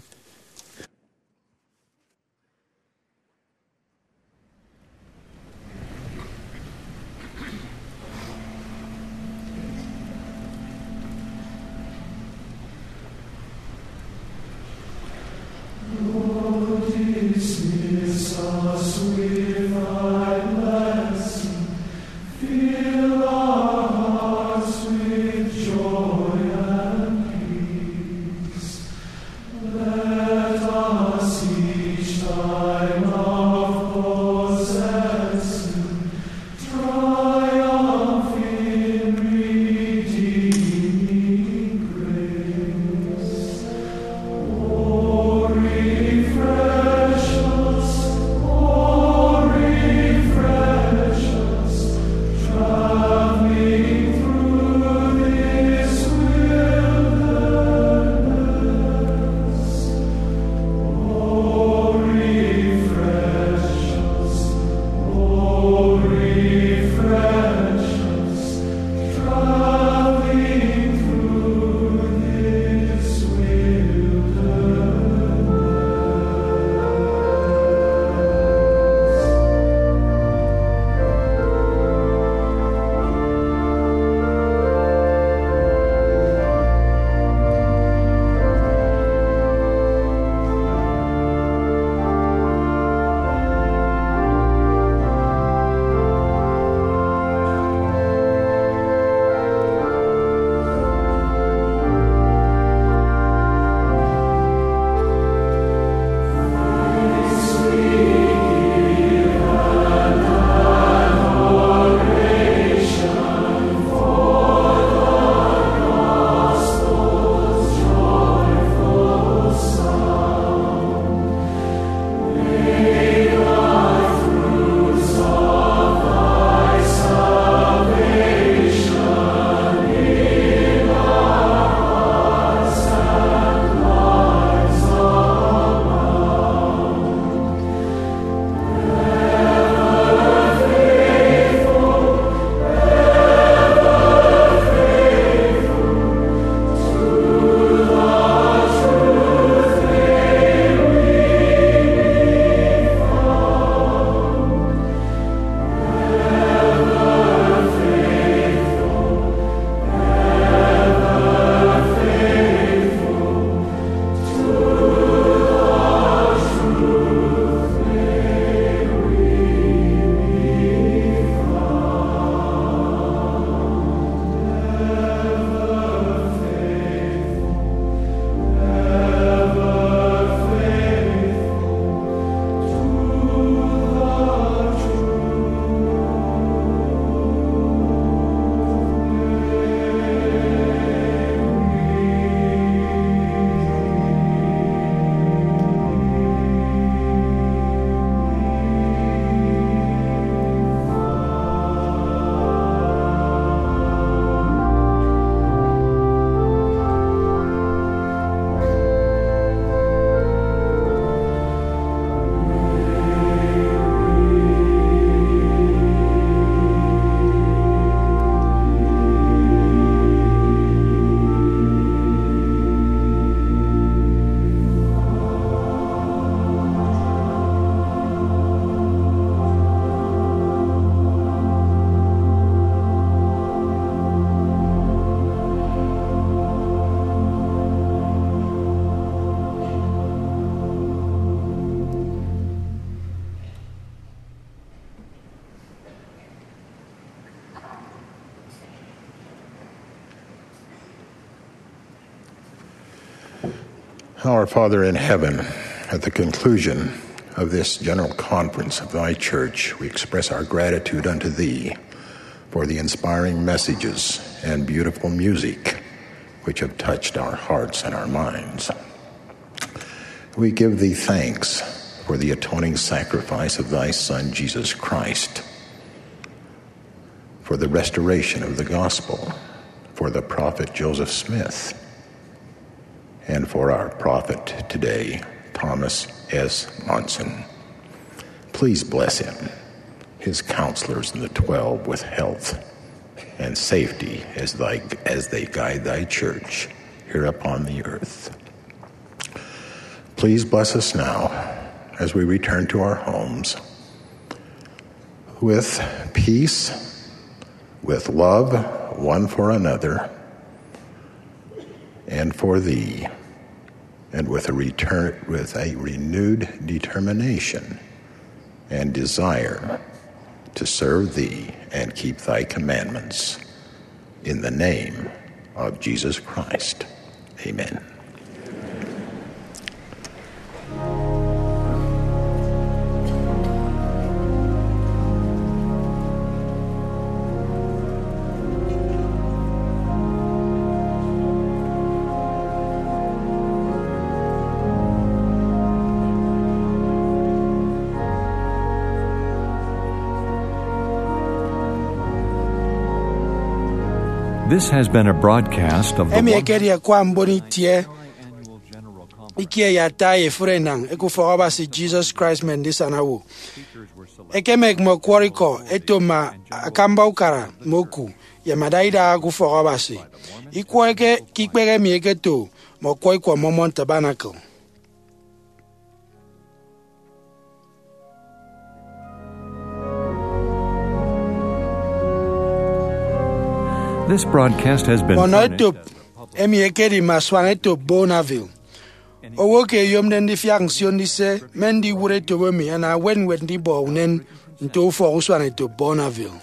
Our Father in heaven, at the conclusion of this general conference of thy church, we express our gratitude unto thee for the inspiring messages and beautiful music which have touched our hearts and our minds. We give thee thanks for the atoning sacrifice of thy Son, Jesus Christ, for the restoration of the gospel, for the prophet Joseph Smith, and for our prophet today, Thomas S. Monson. Please bless him, his counselors, and the twelve with health and safety as, thy, as they guide thy church here upon the earth. Please bless us now as we return to our homes with peace, with love one for another and for thee, and with a return, with a renewed determination and desire to serve thee and keep thy commandments. In the name of Jesus Christ, amen. This has been a broadcast of the Emi ekedi akwa mbon itie ikie ye ata ye efuri enañ eke ufọk Abasi Jesus Christ mme ndisana owo. Ekemek mme ọkwọrọ ikọ eto mme akamba ukara mme oku ye mme adaidaha ke ufọk Abasi. Ikwọ eke ke ikpehe emi eketo mme ọkwọ ikwọ Mormon Tabernacle. This broadcast has been Ọnọ furnished etop emi ekedi mme asuan etop Bonneville. Owo ke eyomde ndifiak nsio ndise mme ndiwụt etop emi ana ewet ñwed ndibọ unen nto ufọk usuan etop Bonneville.